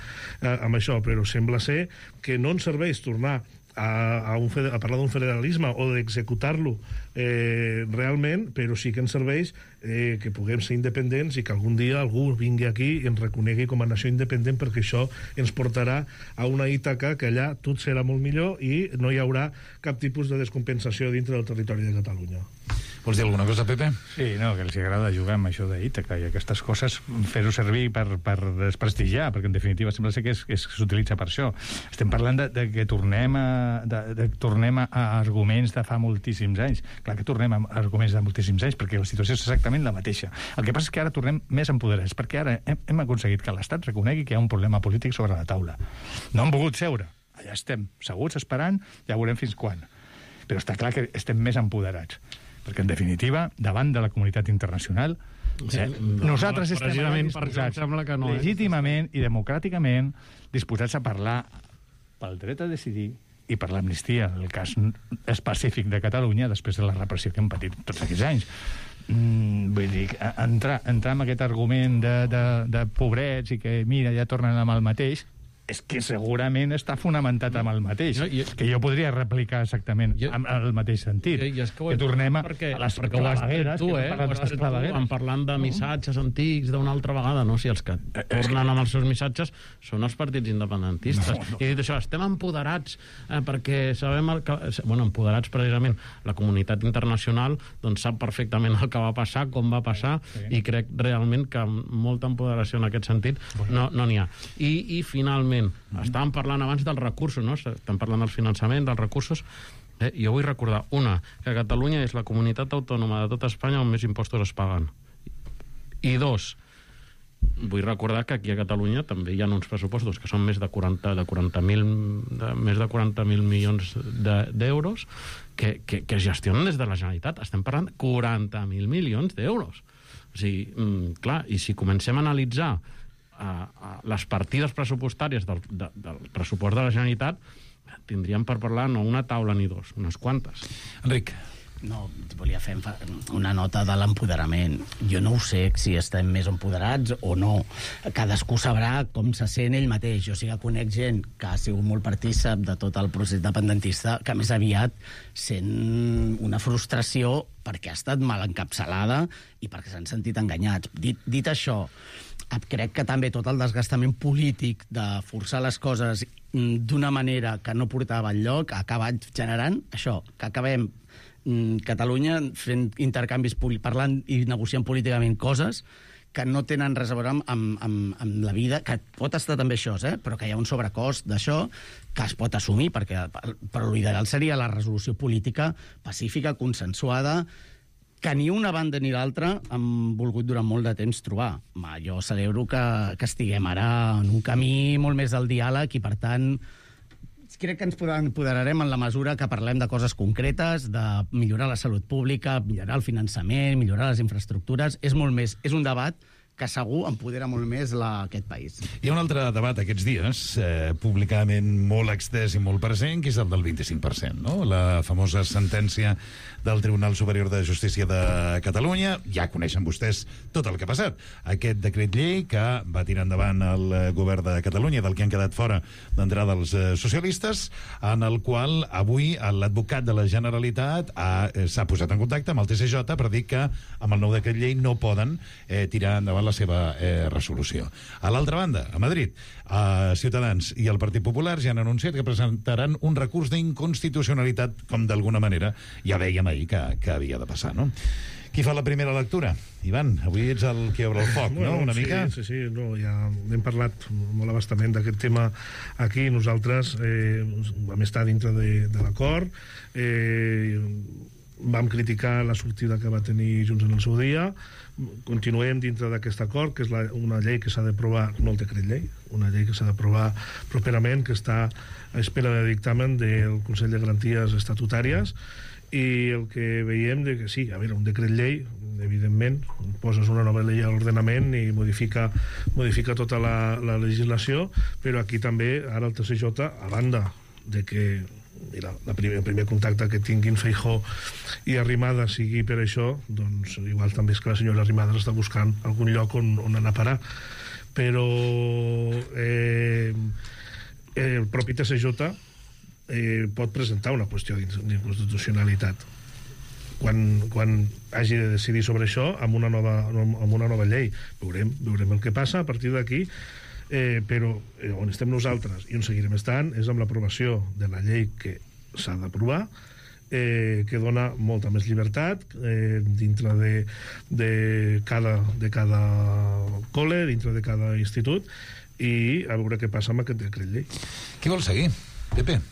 amb això, però sembla ser que no ens serveix tornar a parlar d'un federalisme o d'executar-lo realment, però sí que ens serveix que puguem ser independents i que algun dia algú vingui aquí i ens reconegui com a nació independent, perquè això ens portarà a una Ítaca que allà tot serà molt millor i no hi haurà cap tipus de descompensació dintre del territori de Catalunya. Vols dir alguna cosa, Pepe? Sí, no, que els agrada jugar amb això d'Ítaca i aquestes coses, fer-ho servir per desprestigiar, perquè en definitiva sembla ser que s'utilitza per això. Estem parlant de que tornem a arguments de fa moltíssims anys. Clar que tornem a arguments de moltíssims anys, perquè la situació és exactament la mateixa. El que passa és que ara tornem més empoderats, perquè ara hem aconseguit que l'Estat reconegui que hi ha un problema polític sobre la taula. No han volgut seure. Allà estem, seguts, esperant, ja veurem fins quan. Però està clar que estem més empoderats. Perquè, en definitiva, davant de la comunitat internacional, nosaltres estem disposats, legítimament i democràticament, disposats a parlar pel dret a decidir i per l'amnistia, en el cas específic de Catalunya, després de la repressió que hem patit tots aquests anys. Vull dir, entrar en aquest argument de pobrets i que, mira, ja tornen amb el mateix, és que segurament està fonamentat amb el mateix, que jo podria replicar exactament amb el mateix sentit, que tornem a les clavegueres, parlant de missatges antics d'una altra vegada, no? Si els que tornen amb els seus missatges són els partits independentistes. I dit això, estem empoderats perquè sabem empoderats precisament la comunitat internacional doncs sap perfectament el que va passar, com va passar, i crec realment que molta empoderació en aquest sentit no n'hi ha. I finalment, estàvem parlant abans dels recursos, no? Estem parlant del finançament, dels recursos. Jo vull recordar, que Catalunya és la comunitat autònoma de tota Espanya on més impostos es paguen. I dos, vull recordar que aquí a Catalunya també hi ha uns pressupostos que són més de 40.000 milions d'euros que es gestionen des de la Generalitat. Estem parlant de 40.000 milions d'euros. O sigui, clar, i si comencem a analitzar les partides pressupostàries del pressupost de la Generalitat, tindríem per parlar no una taula ni dos, unes quantes. Enric. No, volia fer una nota de l'empoderament. Jo no ho sé si estem més empoderats o no. Cadascú sabrà com se sent ell mateix. Jo sí que conec gent que ha sigut molt partícip de tot el procés independentista, que més aviat sent una frustració perquè ha estat mal encapçalada i perquè s'han sentit enganyats. Dit això, crec que també tot el desgastament polític de forçar les coses d'una manera que no portava enlloc ha acabat generant això, que acabem Catalunya fent intercanvis, parlant i negociant políticament coses que no tenen res a veure amb la vida, que pot estar també això, però que hi ha un sobrecost d'això que es pot assumir, però l'ideal seria la resolució política pacífica, consensuada, que ni una banda ni l'altra han volgut durant molt de temps trobar. Jo celebro que estiguem ara en un camí molt més del diàleg i, per tant, crec que ens empoderarem en la mesura que parlem de coses concretes, de millorar la salut pública, millorar el finançament, millorar les infraestructures. És un debat que segur empodera molt més aquest país. Hi ha un altre debat aquests dies, públicament molt extès i molt present, que és el del 25%, no? La famosa sentència del Tribunal Superior de Justícia de Catalunya. Ja coneixen vostès tot el que ha passat. Aquest decret llei que va tirar endavant el govern de Catalunya, del que han quedat fora d'entrada els socialistes, en el qual avui l'advocat de la Generalitat s'ha posat en contacte amb el TSJ per dir que amb el nou decret llei no poden tirar endavant la seva resolució. A l'altra banda, a Madrid, Ciutadans i el Partit Popular ja han anunciat que presentaran un recurs d'inconstitucionalitat, com d'alguna manera ja dèiem ahir que havia de passar, no? Qui fa la primera lectura? Ivan, avui ets el que obre el foc, no? Una mica? Sí, no, ja hem parlat molt abastament d'aquest tema aquí. Nosaltres vam estar dintre de l'acord, vam criticar la sortida que va tenir Junts en el seu dia, continuem dintre d'aquest acord, que és una llei que s'ha d'aprovar, no el decret llei, una llei que s'ha d'aprovar properament, que està a espera de dictamen del Consell de Garanties Estatutàries, i el que veiem que sí, a veure, un decret llei, evidentment, poses una nova llei a l'ordenament i modifica tota la legislació, però aquí també, ara el TSJ, a banda de que el primer contacte que tinguin Feijóo i Arrimadas sigui per això, doncs igual també és que la senyora Arrimadas està buscant algun lloc on anar a parar, però el propi TSJ pot presentar una qüestió d'inconstitucionalitat quan hagi de decidir sobre això amb una nova llei. Veurem el que passa a partir d'aquí, però on estem nosaltres i on seguirem estant és amb l'aprovació de la llei que s'ha d'aprovar, que dona molta més llibertat dintre de cada col·le, dintre de cada institut, i a veure què passa amb aquest decret llei. Qui vol seguir? Pepe?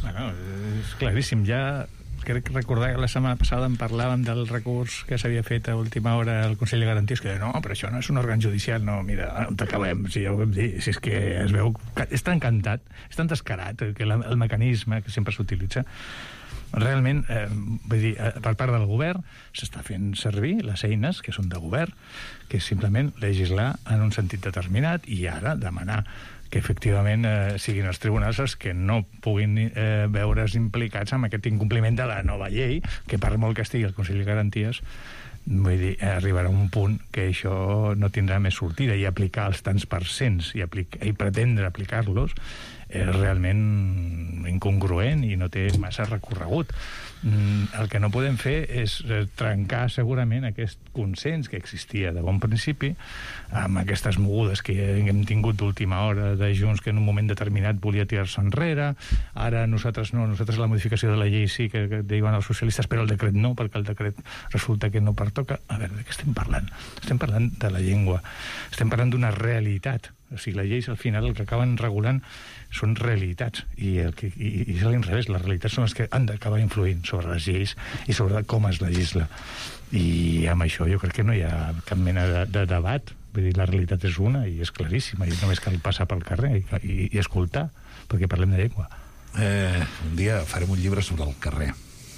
Bueno, és claríssim. Ja crec recordar que la setmana passada en parlàvem del recurs que s'havia fet a última hora al Consell de Garanties, que no, però això no és un òrgan judicial. No, mira, on acabem? Si ja ho vam dir, si és que es veu que és tan cantat, és tan descarat que el mecanisme que sempre s'utilitza realment, vull dir, per part del govern s'està fent servir les eines que són de govern, que és simplement legislar en un sentit determinat i ara demanar que efectivament siguin els tribunals els que no puguin veure's implicats amb aquest incompliment de la nova llei, que per molt que estigui el Consell de Garanties, vull dir, arribarà un punt que això no tindrà més sortida, i aplicar els tants percents i pretendre aplicar-los és realment incongruent i no té massa recorregut. El que no podem fer és trencar segurament aquest consens que existia de bon principi amb aquestes mogudes que hem tingut d'última hora de Junts, que en un moment determinat volia tirar-se enrere. Ara nosaltres no, nosaltres la modificació de la llei sí que diuen els socialistes, però el decret no, perquè el decret resulta que no pertoca. A veure, de què estem parlant? Estem parlant de la llengua, estem parlant d'una realitat. O sigui, les lleis al final el que acaben regulant són realitats, i és a l'inrevés, les realitats són les que han d'acabar influint sobre les lleis i sobre com es legisla, i amb això jo crec que no hi ha cap mena de debat. Vull dir, la realitat és una i és claríssima, i només cal passar pel carrer i escoltar, perquè parlem de llengua. Un dia farem un llibre sobre el carrer,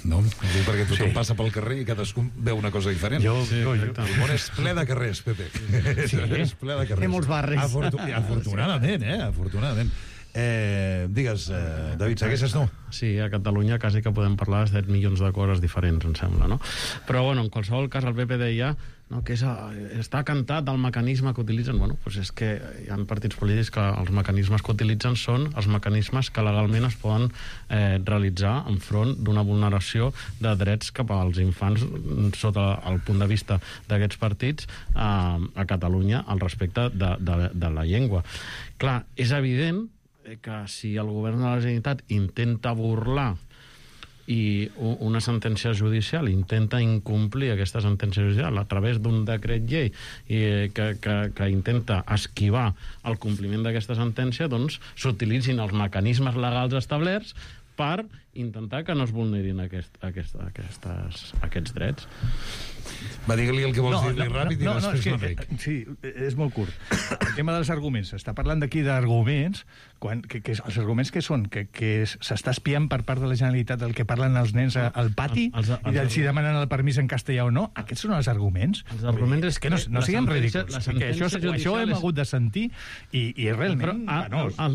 no? Perquè tothom passa pel carrer i cadascú veu una cosa diferent. El món és ple de carrers, Pepe. És ple de carrers. Té molts barris. Afortunadament, afortunadament. Digues, David, segueixes tu? Sí, a Catalunya quasi que podem parlar de 7 milions de coses diferents, em sembla, no? Però, bueno, en qualsevol cas, el PP deia que està cantat el mecanisme que utilitzen. Bueno, doncs és que hi ha partits polítics que els mecanismes que utilitzen són els mecanismes que legalment es poden realitzar enfront d'una vulneració de drets cap als infants sota el punt de vista d'aquests partits a Catalunya al respecte de la llengua. Clar, és evident que si el govern de la Generalitat intenta burlar i una sentència judicial intenta incomplir aquesta sentència judicial a través d'un decret llei que intenta esquivar el compliment d'aquesta sentència, doncs s'utilitzin els mecanismes legals establerts per intentar que no es vulnerin aquests drets. Va, digue-li el que vols dir-li ràpid i després l'Enric. Sí, és molt curt. El tema dels arguments. S'està parlant d'aquí d'arguments, que els arguments que són? Que s'està espiant per part de la Generalitat el que parlen els nens al pati i si demanen el permís en castellà o no? Aquests són els arguments? Els arguments és que no siguem ridículs. Això ho hem hagut de sentir i realment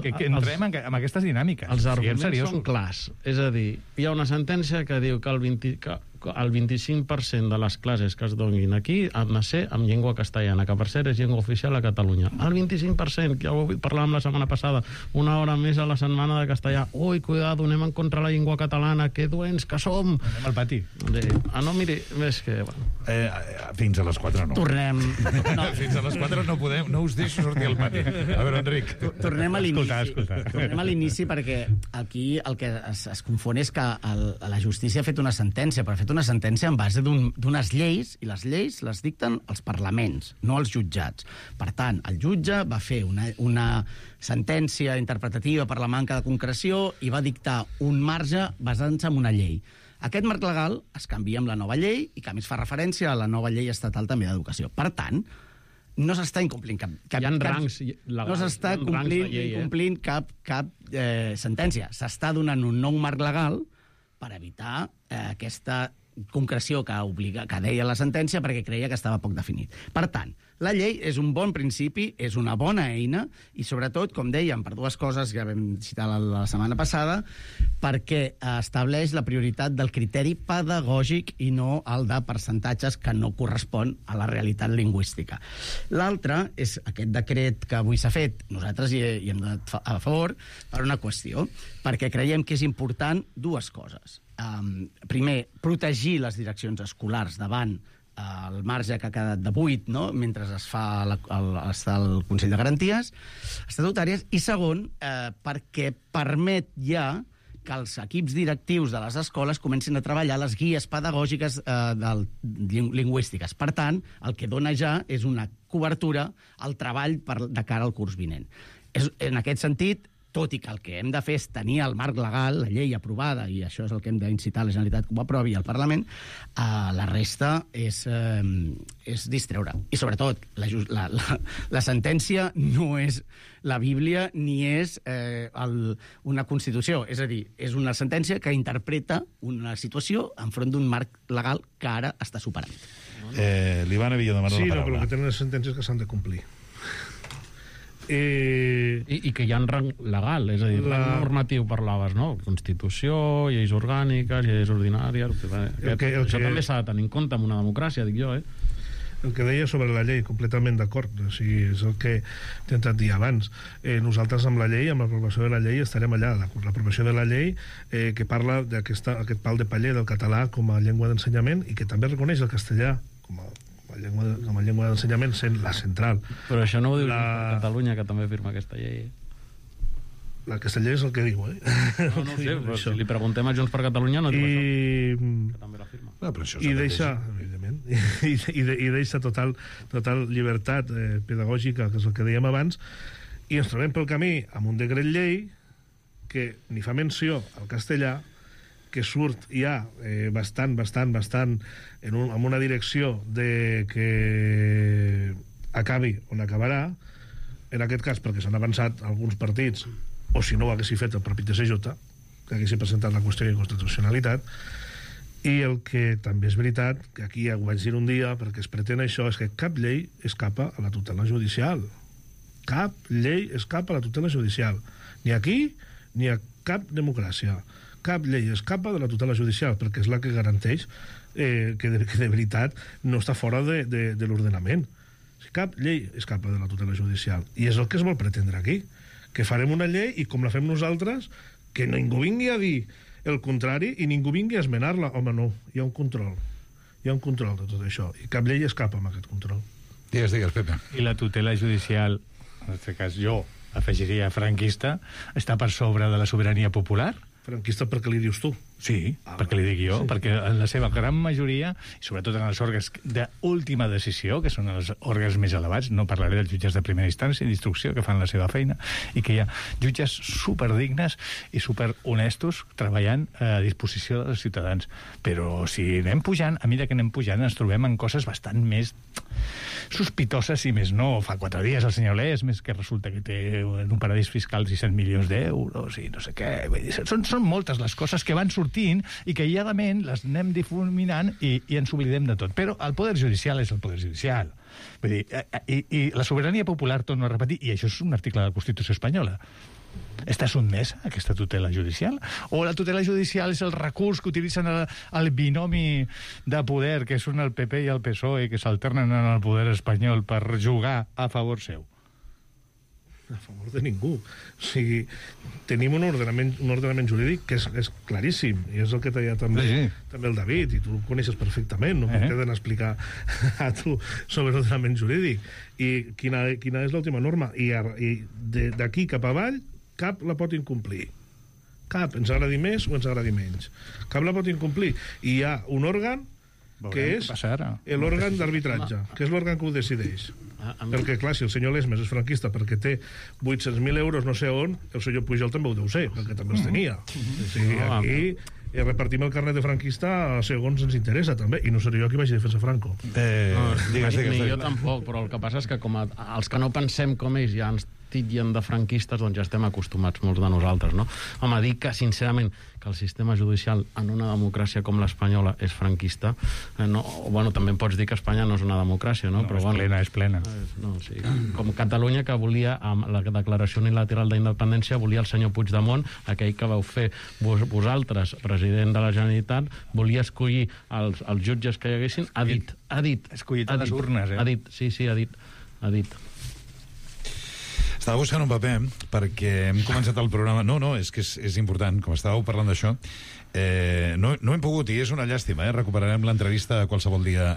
que entrem en aquestes dinàmiques. Els arguments són clars. És a dir, hi ha una sentència que diu que el 25% de les classes que es donin aquí han de ser en llengua castellana, que per cert és llengua oficial a Catalunya. El 25%, que ja ho parlàvem la setmana passada, una hora més a la setmana de castellà. Ui, cuidado, anem en contra la llengua catalana, que dolents que som. Anem al pati. No, miri, és que... Fins a les 4 no. Tornem... Fins a les 4 no podem, no us deixo sortir al pati. A veure, Enric. Tornem a l'inici. Escolta. Tornem a l'inici perquè aquí el que es confon és que la justícia ha fet una sentència, però ha fet una sentència en base d'unes lleis, i les lleis les dicten els parlaments, no els jutjats. Per tant, el jutge va fer una sentència interpretativa per la manca de concreció i va dictar un marge basant-se en una llei. Aquest marc legal es canvia amb la nova llei i que a més fa referència a la nova llei estatal també d'educació. Per tant, no s'està incomplint no s'està incomplint cap sentència. S'està donant un nou marc legal per evitar aquesta concreció que deia la sentència perquè creia que estava poc definit. Per tant, la llei és un bon principi, és una bona eina i sobretot, com dèiem, per dues coses que vam citar la setmana passada, perquè estableix la prioritat del criteri pedagògic i no el de percentatges que no correspon a la realitat lingüística. L'altre és aquest decret que avui s'ha fet. Nosaltres hi hem donat a favor per una qüestió, perquè creiem que és important dues coses. Primer, protegir les direccions escolars davant el marge que ha quedat de 8, no?, mentre es fa està el Consell de Garanties Estatutàries, i segon, perquè permet ja que els equips directius de les escoles comencin a treballar les guies pedagògiques lingüístiques. Per tant, el que dona ja és una cobertura al treball de cara al curs vinent. En aquest sentit, tot i que el que hem de fer és tenir el marc legal, la llei aprovada, i això és el que hem d'incitar a la Generalitat que ho aprovi al Parlament, la resta és distreure. I sobretot, la sentència no és la Bíblia ni és una Constitució. És a dir, és una sentència que interpreta una situació enfront d'un marc legal que ara està superat. L'Ivan havia demanat la paraula. Sí, però el que tenen les sentències que s'han de complir. I que hi ha rang legal, és a dir, rang normatiu parlaves, no? Constitució, lleis orgàniques, lleis ordinàries... Això també s'ha de tenir en compte en una democràcia, dic jo, El que deia sobre la llei, completament d'acord. O sigui, és el que he intentat dir abans. Nosaltres amb la llei, amb l'aprovació de la llei, estarem allà. L'aprovació de la llei que parla d'aquest pal de paller del català com a llengua d'ensenyament i que també reconeix el castellà com a llengua d'ensenyament sent la central. Però això no ho diu Catalunya, que també firma aquesta llei. La castellà és el que diu, No ho sé, però si li preguntem a Junts per Catalunya no diu això, que també la firma. I deixa, evidentment, i deixa total llibertat pedagògica, que és el que dèiem abans, i ens trobem pel camí amb un decret llei que ni fa menció al castellà, que surt ja bastant amb una direcció de que acabi on acabarà, en aquest cas perquè s'han avançat alguns partits, o si no ho haguessi fet el propi TSJ, que haguessi presentat la qüestió d'inconstitucionalitat. I el que també és veritat, que aquí ja ho vaig dir un dia, perquè es pretén això, és que cap llei escapa a la tutela judicial. Cap llei escapa a la tutela judicial. Ni aquí, ni a cap democràcia. Cap llei escapa de la tutela judicial, perquè és la que garanteix que de veritat no està fora de l'ordenament. Cap llei escapa de la tutela judicial. I és el que es vol pretendre aquí. Que farem una llei i com la fem nosaltres, que ningú vingui a dir el contrari i ningú vingui a esmenar-la. Home, no, hi ha un control. Hi ha un control de tot això. I cap llei escapa amb aquest control. Digues, Pepe. I la tutela judicial, en aquest cas jo afegiria franquista, està per sobre de la sobirania popular? Franquista perquè li dius tu. Sí, perquè li dic jo, sí. Perquè en la seva gran majoria, i sobretot en els òrgans d'última decisió, que són els òrgans més elevats, no parlaré dels jutges de primera instància i d'instrucció, que fan la seva feina, i que hi ha jutges superdignes i superhonestos treballant a disposició dels ciutadans. Però si anem pujant, a mesura que anem pujant, ens trobem en coses bastant més sospitoses, i més no. Fa 4 dies el senyor Lesmes, que resulta que té en un paradís fiscal 600 milions d'euros i no sé què. Són moltes les coses que van sortint i que aïlladament les anem difuminant i ens oblidem de tot. Però el poder judicial és el poder judicial. Vull dir, i la sobirania popular, torno a repetir, i això és un article de la Constitució espanyola, està sotmesa a aquesta tutela judicial? O la tutela judicial és el recurs que utilitzen el binomi de poder, que són el PP i el PSOE, que s'alternen en el poder espanyol per jugar a favor seu? A favor de ningú. O sigui, tenim un ordenament jurídic que és claríssim, i és el que deia també el David, i tu ho coneixes perfectament, no t'he d'anar a explicar a tu sobre l'ordenament jurídic. I quina és l'última norma? I d'aquí cap avall, cap la pot incomplir. Cap, ens agradi més o ens agradi menys. Cap la pot incomplir. I hi ha un òrgan que és l'òrgan d'arbitratge, que és l'òrgan que ho decideix. Perquè, clar, si el senyor Lesmes és franquista perquè té 800.000 euros no sé on, el senyor Pujol també ho deu ser, perquè també els tenia. O sigui, aquí repartim el carnet de franquista segons ens interessa, també, i no seré jo qui vagi a defensar Franco. Ni jo tampoc, però el que passa és que com els que no pensem com ells ja ens titllen de franquistes, doncs ja estem acostumats molts de nosaltres, no? Home, dir que, sincerament, que el sistema judicial en una democràcia com l'espanyola és franquista, bueno, també pots dir que Espanya no és una democràcia, no? Però, és plena. No, sí. Com Catalunya, que volia, amb la declaració unilateral d'independència, volia el senyor Puigdemont, aquell que vau fer vosaltres, president de la Generalitat, volia escollir els jutges que hi haguessin, ha dit. Escollit a les urnes, Ha dit, sí, ha dit. Estava buscant un paper perquè hem començat el programa... No, és que és important, com estàveu parlant d'això. No hem pogut, i és una llàstima, recuperarem l'entrevista a qualsevol dia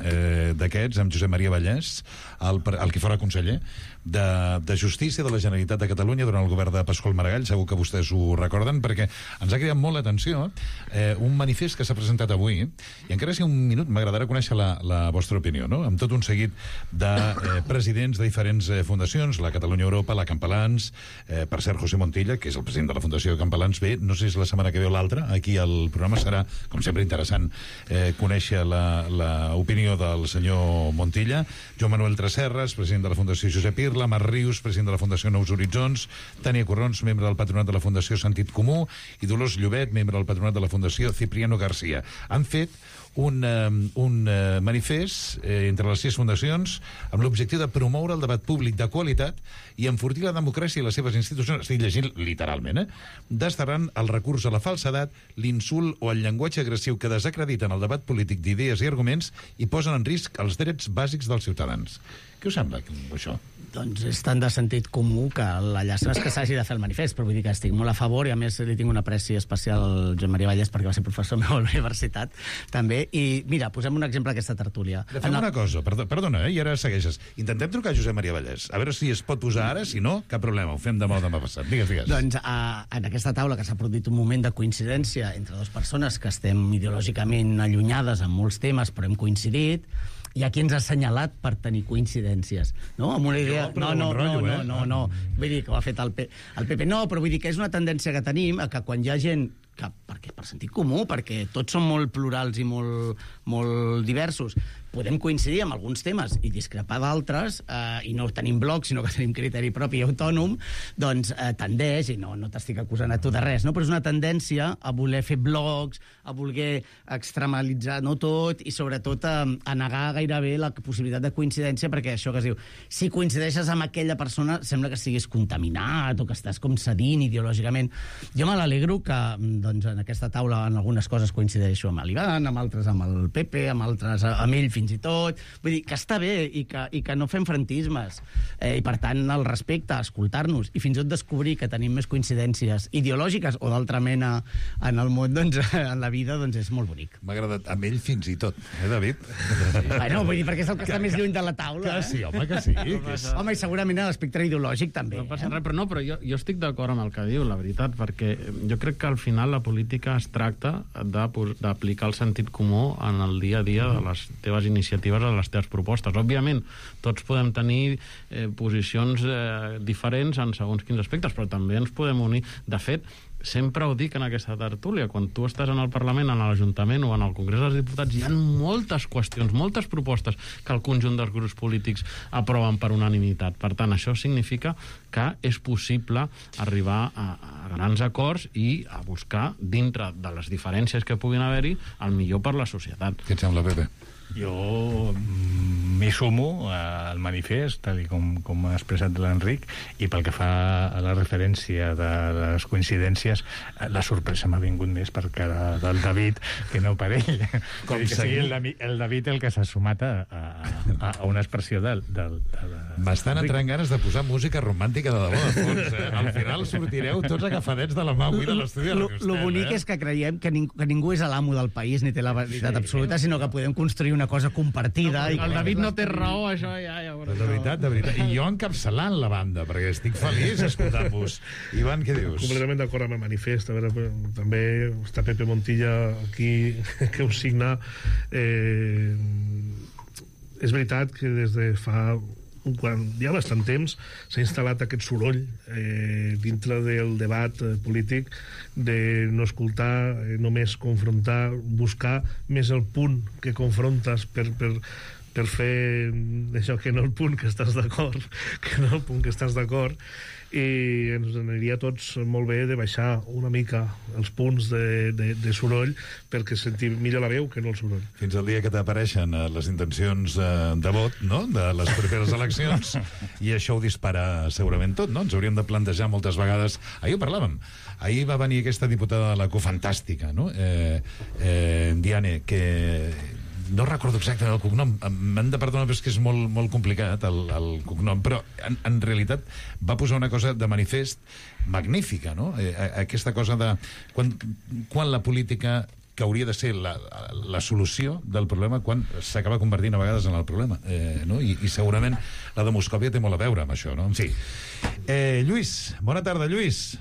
d'aquests amb Josep Maria Vallès, el que fora conseller de Justícia de la Generalitat de Catalunya durant el govern de Pasqual Maragall. Segur que vostès ho recorden, perquè ens ha cridat molt l'atenció un manifest que s'ha presentat avui, i encara si un minut m'agradarà conèixer la vostra opinió, no? Amb tot un seguit de presidents de diferents fundacions, la Catalunya Europa, la Campalans, per cert, José Montilla, que és el president de la Fundació Campalans, bé, no sé si la setmana que ve o l'altra, aquí al programa serà, com sempre, interessant conèixer l'opinió del senyor Montilla, Joan Manuel Tresserras, president de la Fundació Josep Irla, Marc Rius, president de la Fundació Nous Horitzons, Tània Corrons, membre del patronat de la Fundació Sentit Comú, i Dolors Llobet, membre del patronat de la Fundació Cipriano García. Han fet un manifest entre les 6 fundacions amb l'objectiu de promoure el debat públic de qualitat i enfortir la democràcia i les seves institucions, estic llegint literalment, desterrant el recurs a la falsedat, l'insult o el llenguatge agressiu que desacrediten el debat polític d'idees i arguments i posen en risc els drets bàsics dels ciutadans. Què us sembla, això? Doncs és tan de sentit comú que la llàstima és que s'hagi de fer el manifest, però vull dir que estic molt a favor, i a més li tinc una apreci especial al Joan Maria Vallès perquè va ser professor meu a la universitat, també. I mira, posem un exemple d'aquesta tertúlia. Fem una cosa, perdona, i ara segueixes. Intentem trucar a Josep Maria Vallès, a veure si es pot posar ara, si no, cap problema, ho fem demà o demà passat. Digues. Doncs en aquesta taula que s'ha produït un moment de coincidència entre dues persones que estem ideològicament allunyades en molts temes, però hem coincidit, hi ha qui ens ha assenyalat per tenir coincidències, no? Amb una idea... No. Vull dir que ho ha fet el PP. No, però vull dir que és una tendència que tenim a que quan hi ha gent per sentit comú, perquè tots som molt plurals i molt diversos. Podem coincidir amb alguns temes i discrepar d'altres, i no tenim bloc, sinó que tenim criteri propi i autònom, doncs tendeix, i no t'estic acusant a tu de res, no? Però és una tendència a voler fer blocs, a voler extremalitzar no tot, i sobretot a negar gairebé la possibilitat de coincidència, perquè això que es diu, si coincideixes amb aquella persona, sembla que estiguis contaminat o que estàs com cedint ideològicament. Jo me l'alegro que doncs, en aquesta taula en algunes coses coincideixo amb l'Ivan, amb altres amb el Pepe, amb altres amb ell fins i tot. Vull dir, que està bé i que no fem frentismes. I per tant, el respecte, escoltar-nos i fins i tot descobrir que tenim més coincidències ideològiques o d'altra mena en el món, doncs, en la vida, doncs és molt bonic. M'ha agradat amb ell fins i tot, David? Bueno, vull dir, perquè és el que està més lluny de la taula. Que sí, home, que sí. Home, i segurament a l'espectre ideològic també. No passa res, però jo estic d'acord amb el que diu, la veritat, perquè jo crec que al final la política es tracta d'aplicar el sentit comú en el dia a dia de les teves iniciatives, a les teves propostes. Òbviament, tots podem tenir posicions diferents en segons quins aspectes, però també ens podem unir. De fet, sempre ho dic en aquesta tertúlia, quan tu estàs en el Parlament, en l'Ajuntament o en el Congrés dels Diputats, hi ha moltes qüestions, moltes propostes que el conjunt dels grups polítics aproven per unanimitat. Per tant, això significa que és possible arribar a grans acords i a buscar, dintre de les diferències que puguin haver-hi, el millor per la societat. Què et sembla, Pepe? Jo m'hi sumo al manifest, tal com ha expressat l'Enric, i pel que fa a la referència de les coincidències, la sorpresa m'ha vingut més per cara del David que no per ell. Com que sigui el David el que s'ha sumat a una expressió del M'estan entrant ganes de posar música romàntica de debò, de fons. Al final sortireu tots agafadets de la mà avui de l'estudi de Radio Estel. Lo bonic és que creiem que ningú és l'amo del país ni té la veritat absoluta, sinó que podem construir una cosa compartida. El David no té raó, això ja... De veritat. I jo encapçalant la banda, perquè estic feliç escoltant-vos. Ivan, què dius? Completament d'acord amb el manifest. A veure, també està Pepe Montilla aquí, que ho signa. És veritat que des de fa... quan hi ha bastant temps s'ha instal·lat aquest soroll dintre del debat polític de no escoltar, només confrontar, buscar més el punt que confrontes per fer això, que no el punt que estàs d'acord, que no el punt que estàs d'acord, i ens aniria a tots molt bé de baixar una mica els punts de soroll perquè sentim millor la veu que no el soroll. Fins al dia que t'apareixen les intencions de vot, no?, de les properes eleccions, i això ho dispara segurament tot, no? Ens hauríem de plantejar moltes vegades... Ahir ho parlàvem. Ahir va venir aquesta diputada de la Cofantàstica, no?, Diane, que... no recordo exactament el cognom, m'han de perdonar, però és que és molt complicat el cognom, però en realitat va posar una cosa de manifest magnífica, no? Aquesta cosa de quan la política, que hauria de ser la solució del problema, quan s'acaba convertint a vegades en el problema, no? I segurament la demoscòpia té molt a veure amb això, no? En fi. Lluís, bona tarda, Lluís.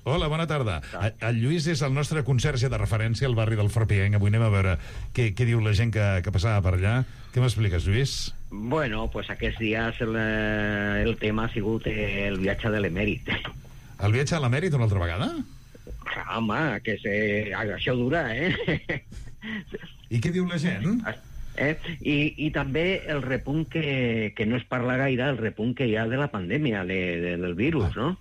Hola, bona tarda. El Lluís és el nostre conserge de referència al barri del Fort Pienc. Avui anem a veure què diu la gent que passava per allà. Què m'expliques, Lluís? Bueno, pues aquests dies el tema ha sigut el viatge de l'emèrit. El viatge a l'emèrit una altra vegada? Home, que això dura, I què diu la gent? I també el repunt que no es parla gaire, el repunt que hi ha de la pandèmia, del virus, no?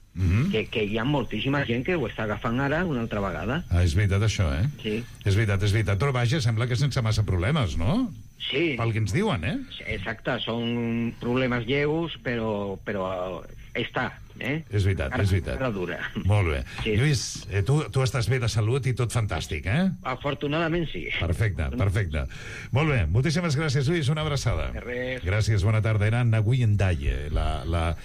Que hi ha moltíssima gent que ho està agafant ara una altra vegada. És veritat, això, Sí. És veritat. Però vaja, sembla que sense massa problemes, no? Sí. Pel que ens diuen, Exacte, són problemes lleus, però està, És veritat. Ara dura. Molt bé. Sí. Lluís, tu estàs bé de salut i tot fantàstic, Afortunadament sí. Perfecte. Molt bé, moltíssimes gràcies, Lluís, una abraçada. De res. Gràcies, bona tarda. Era Nguyen Daye, la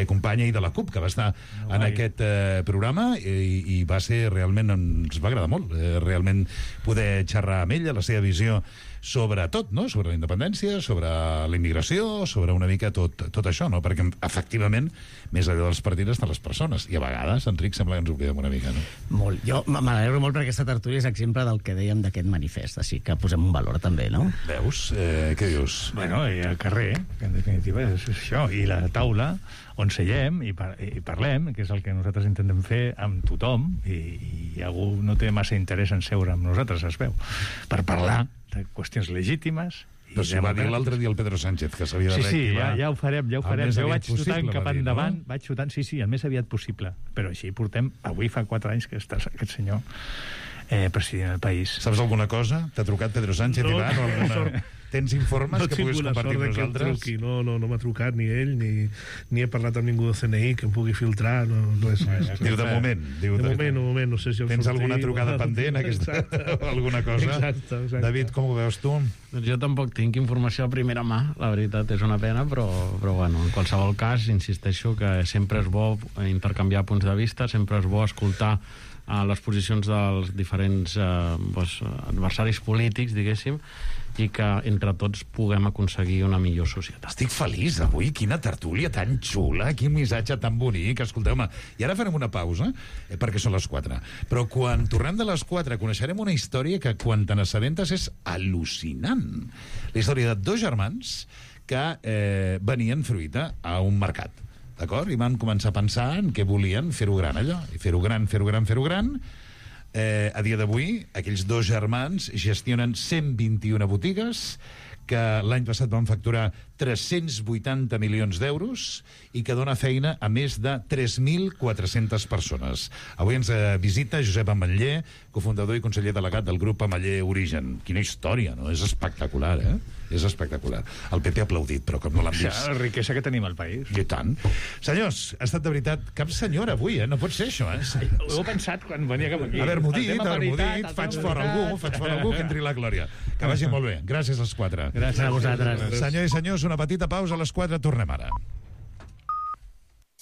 companya i de la CUP, que va estar en aquest programa i va ser realment, ens va agradar molt, realment poder xerrar amb ella, la seva visió sobre tot, no? Sobre la independència, sobre la immigració, sobre una mica tot això, no? Perquè, efectivament, més allà dels partides de les persones. I a vegades, Enric, sembla que ens ho quedem una mica, no? Molt. Jo m'alegro molt perquè aquesta tertúlia és exemple del que dèiem d'aquest manifest, així que posem un valor també, no? Veus? Què dius? Bueno, i al carrer, que en definitiva és això, i la taula on seiem i parlem, que és el que nosaltres intentem fer amb tothom, i algú no té massa interès en seure amb nosaltres, es veu, per parlar de qüestions legítimes. Però si va dir l'altre dia el Pedro Sánchez que s'havia de reactivar... Sí, ja ho farem. Jo vaig xutant cap endavant, vaig xutant, sí, el més aviat possible. Però així portem... Avui fa 4 anys que està aquest senyor president del país. Saps alguna cosa? T'ha trucat Pedro Sánchez, Ivan, o alguna... Tens informes que puguis compartir amb nosaltres? No m'ha trucat ni ell, ni he parlat amb ningú del CNI que em pugui filtrar, res. Diu, de moment. De moment, no sé si... Tens alguna trucada pendent, o alguna cosa? Exacte. David, com ho veus tu? Doncs jo tampoc tinc informació a primera mà, la veritat, és una pena, però bueno, en qualsevol cas, insisteixo que sempre és bo intercanviar punts de vista, sempre és bo escoltar les posicions dels diferents adversaris polítics, diguéssim, i que entre tots puguem aconseguir una millor societat. Estic feliç avui, quina tertúlia tan xula, quin missatge tan bonic. Escolteu-me, i ara farem una pausa, perquè són les 4. Però quan tornem de les 4 coneixerem una història que quan te n'assabentes és al·lucinant. La història de 2 germans que venien fruita a un mercat. D'acord? I van començar a pensar en què volien fer-ho gran, allò. I fer-ho gran. A dia d'avui, aquells 2 germans gestionen 121 botigues que l'any passat van facturar 380 milions d'euros i que dona feina a més de 3.400 persones. Avui ens visita Josep Ametller, cofundador i conseller delegat del grup Ametller Origen. Quina història, no? És espectacular, És espectacular. El PP ha aplaudit, però com no l'han vist... La riquesa que tenim al país. I tant. Senyors, ha estat de veritat cap senyora avui, No pot ser això, Ho he pensat quan venia cap aquí. Haver-m'ho dit, faig fora algú que entri la glòria. Que vagi molt bé. Gràcies als 4. Gràcies a vosaltres. Senyors i senyors, una petita pausa, a les 4 tornem ara.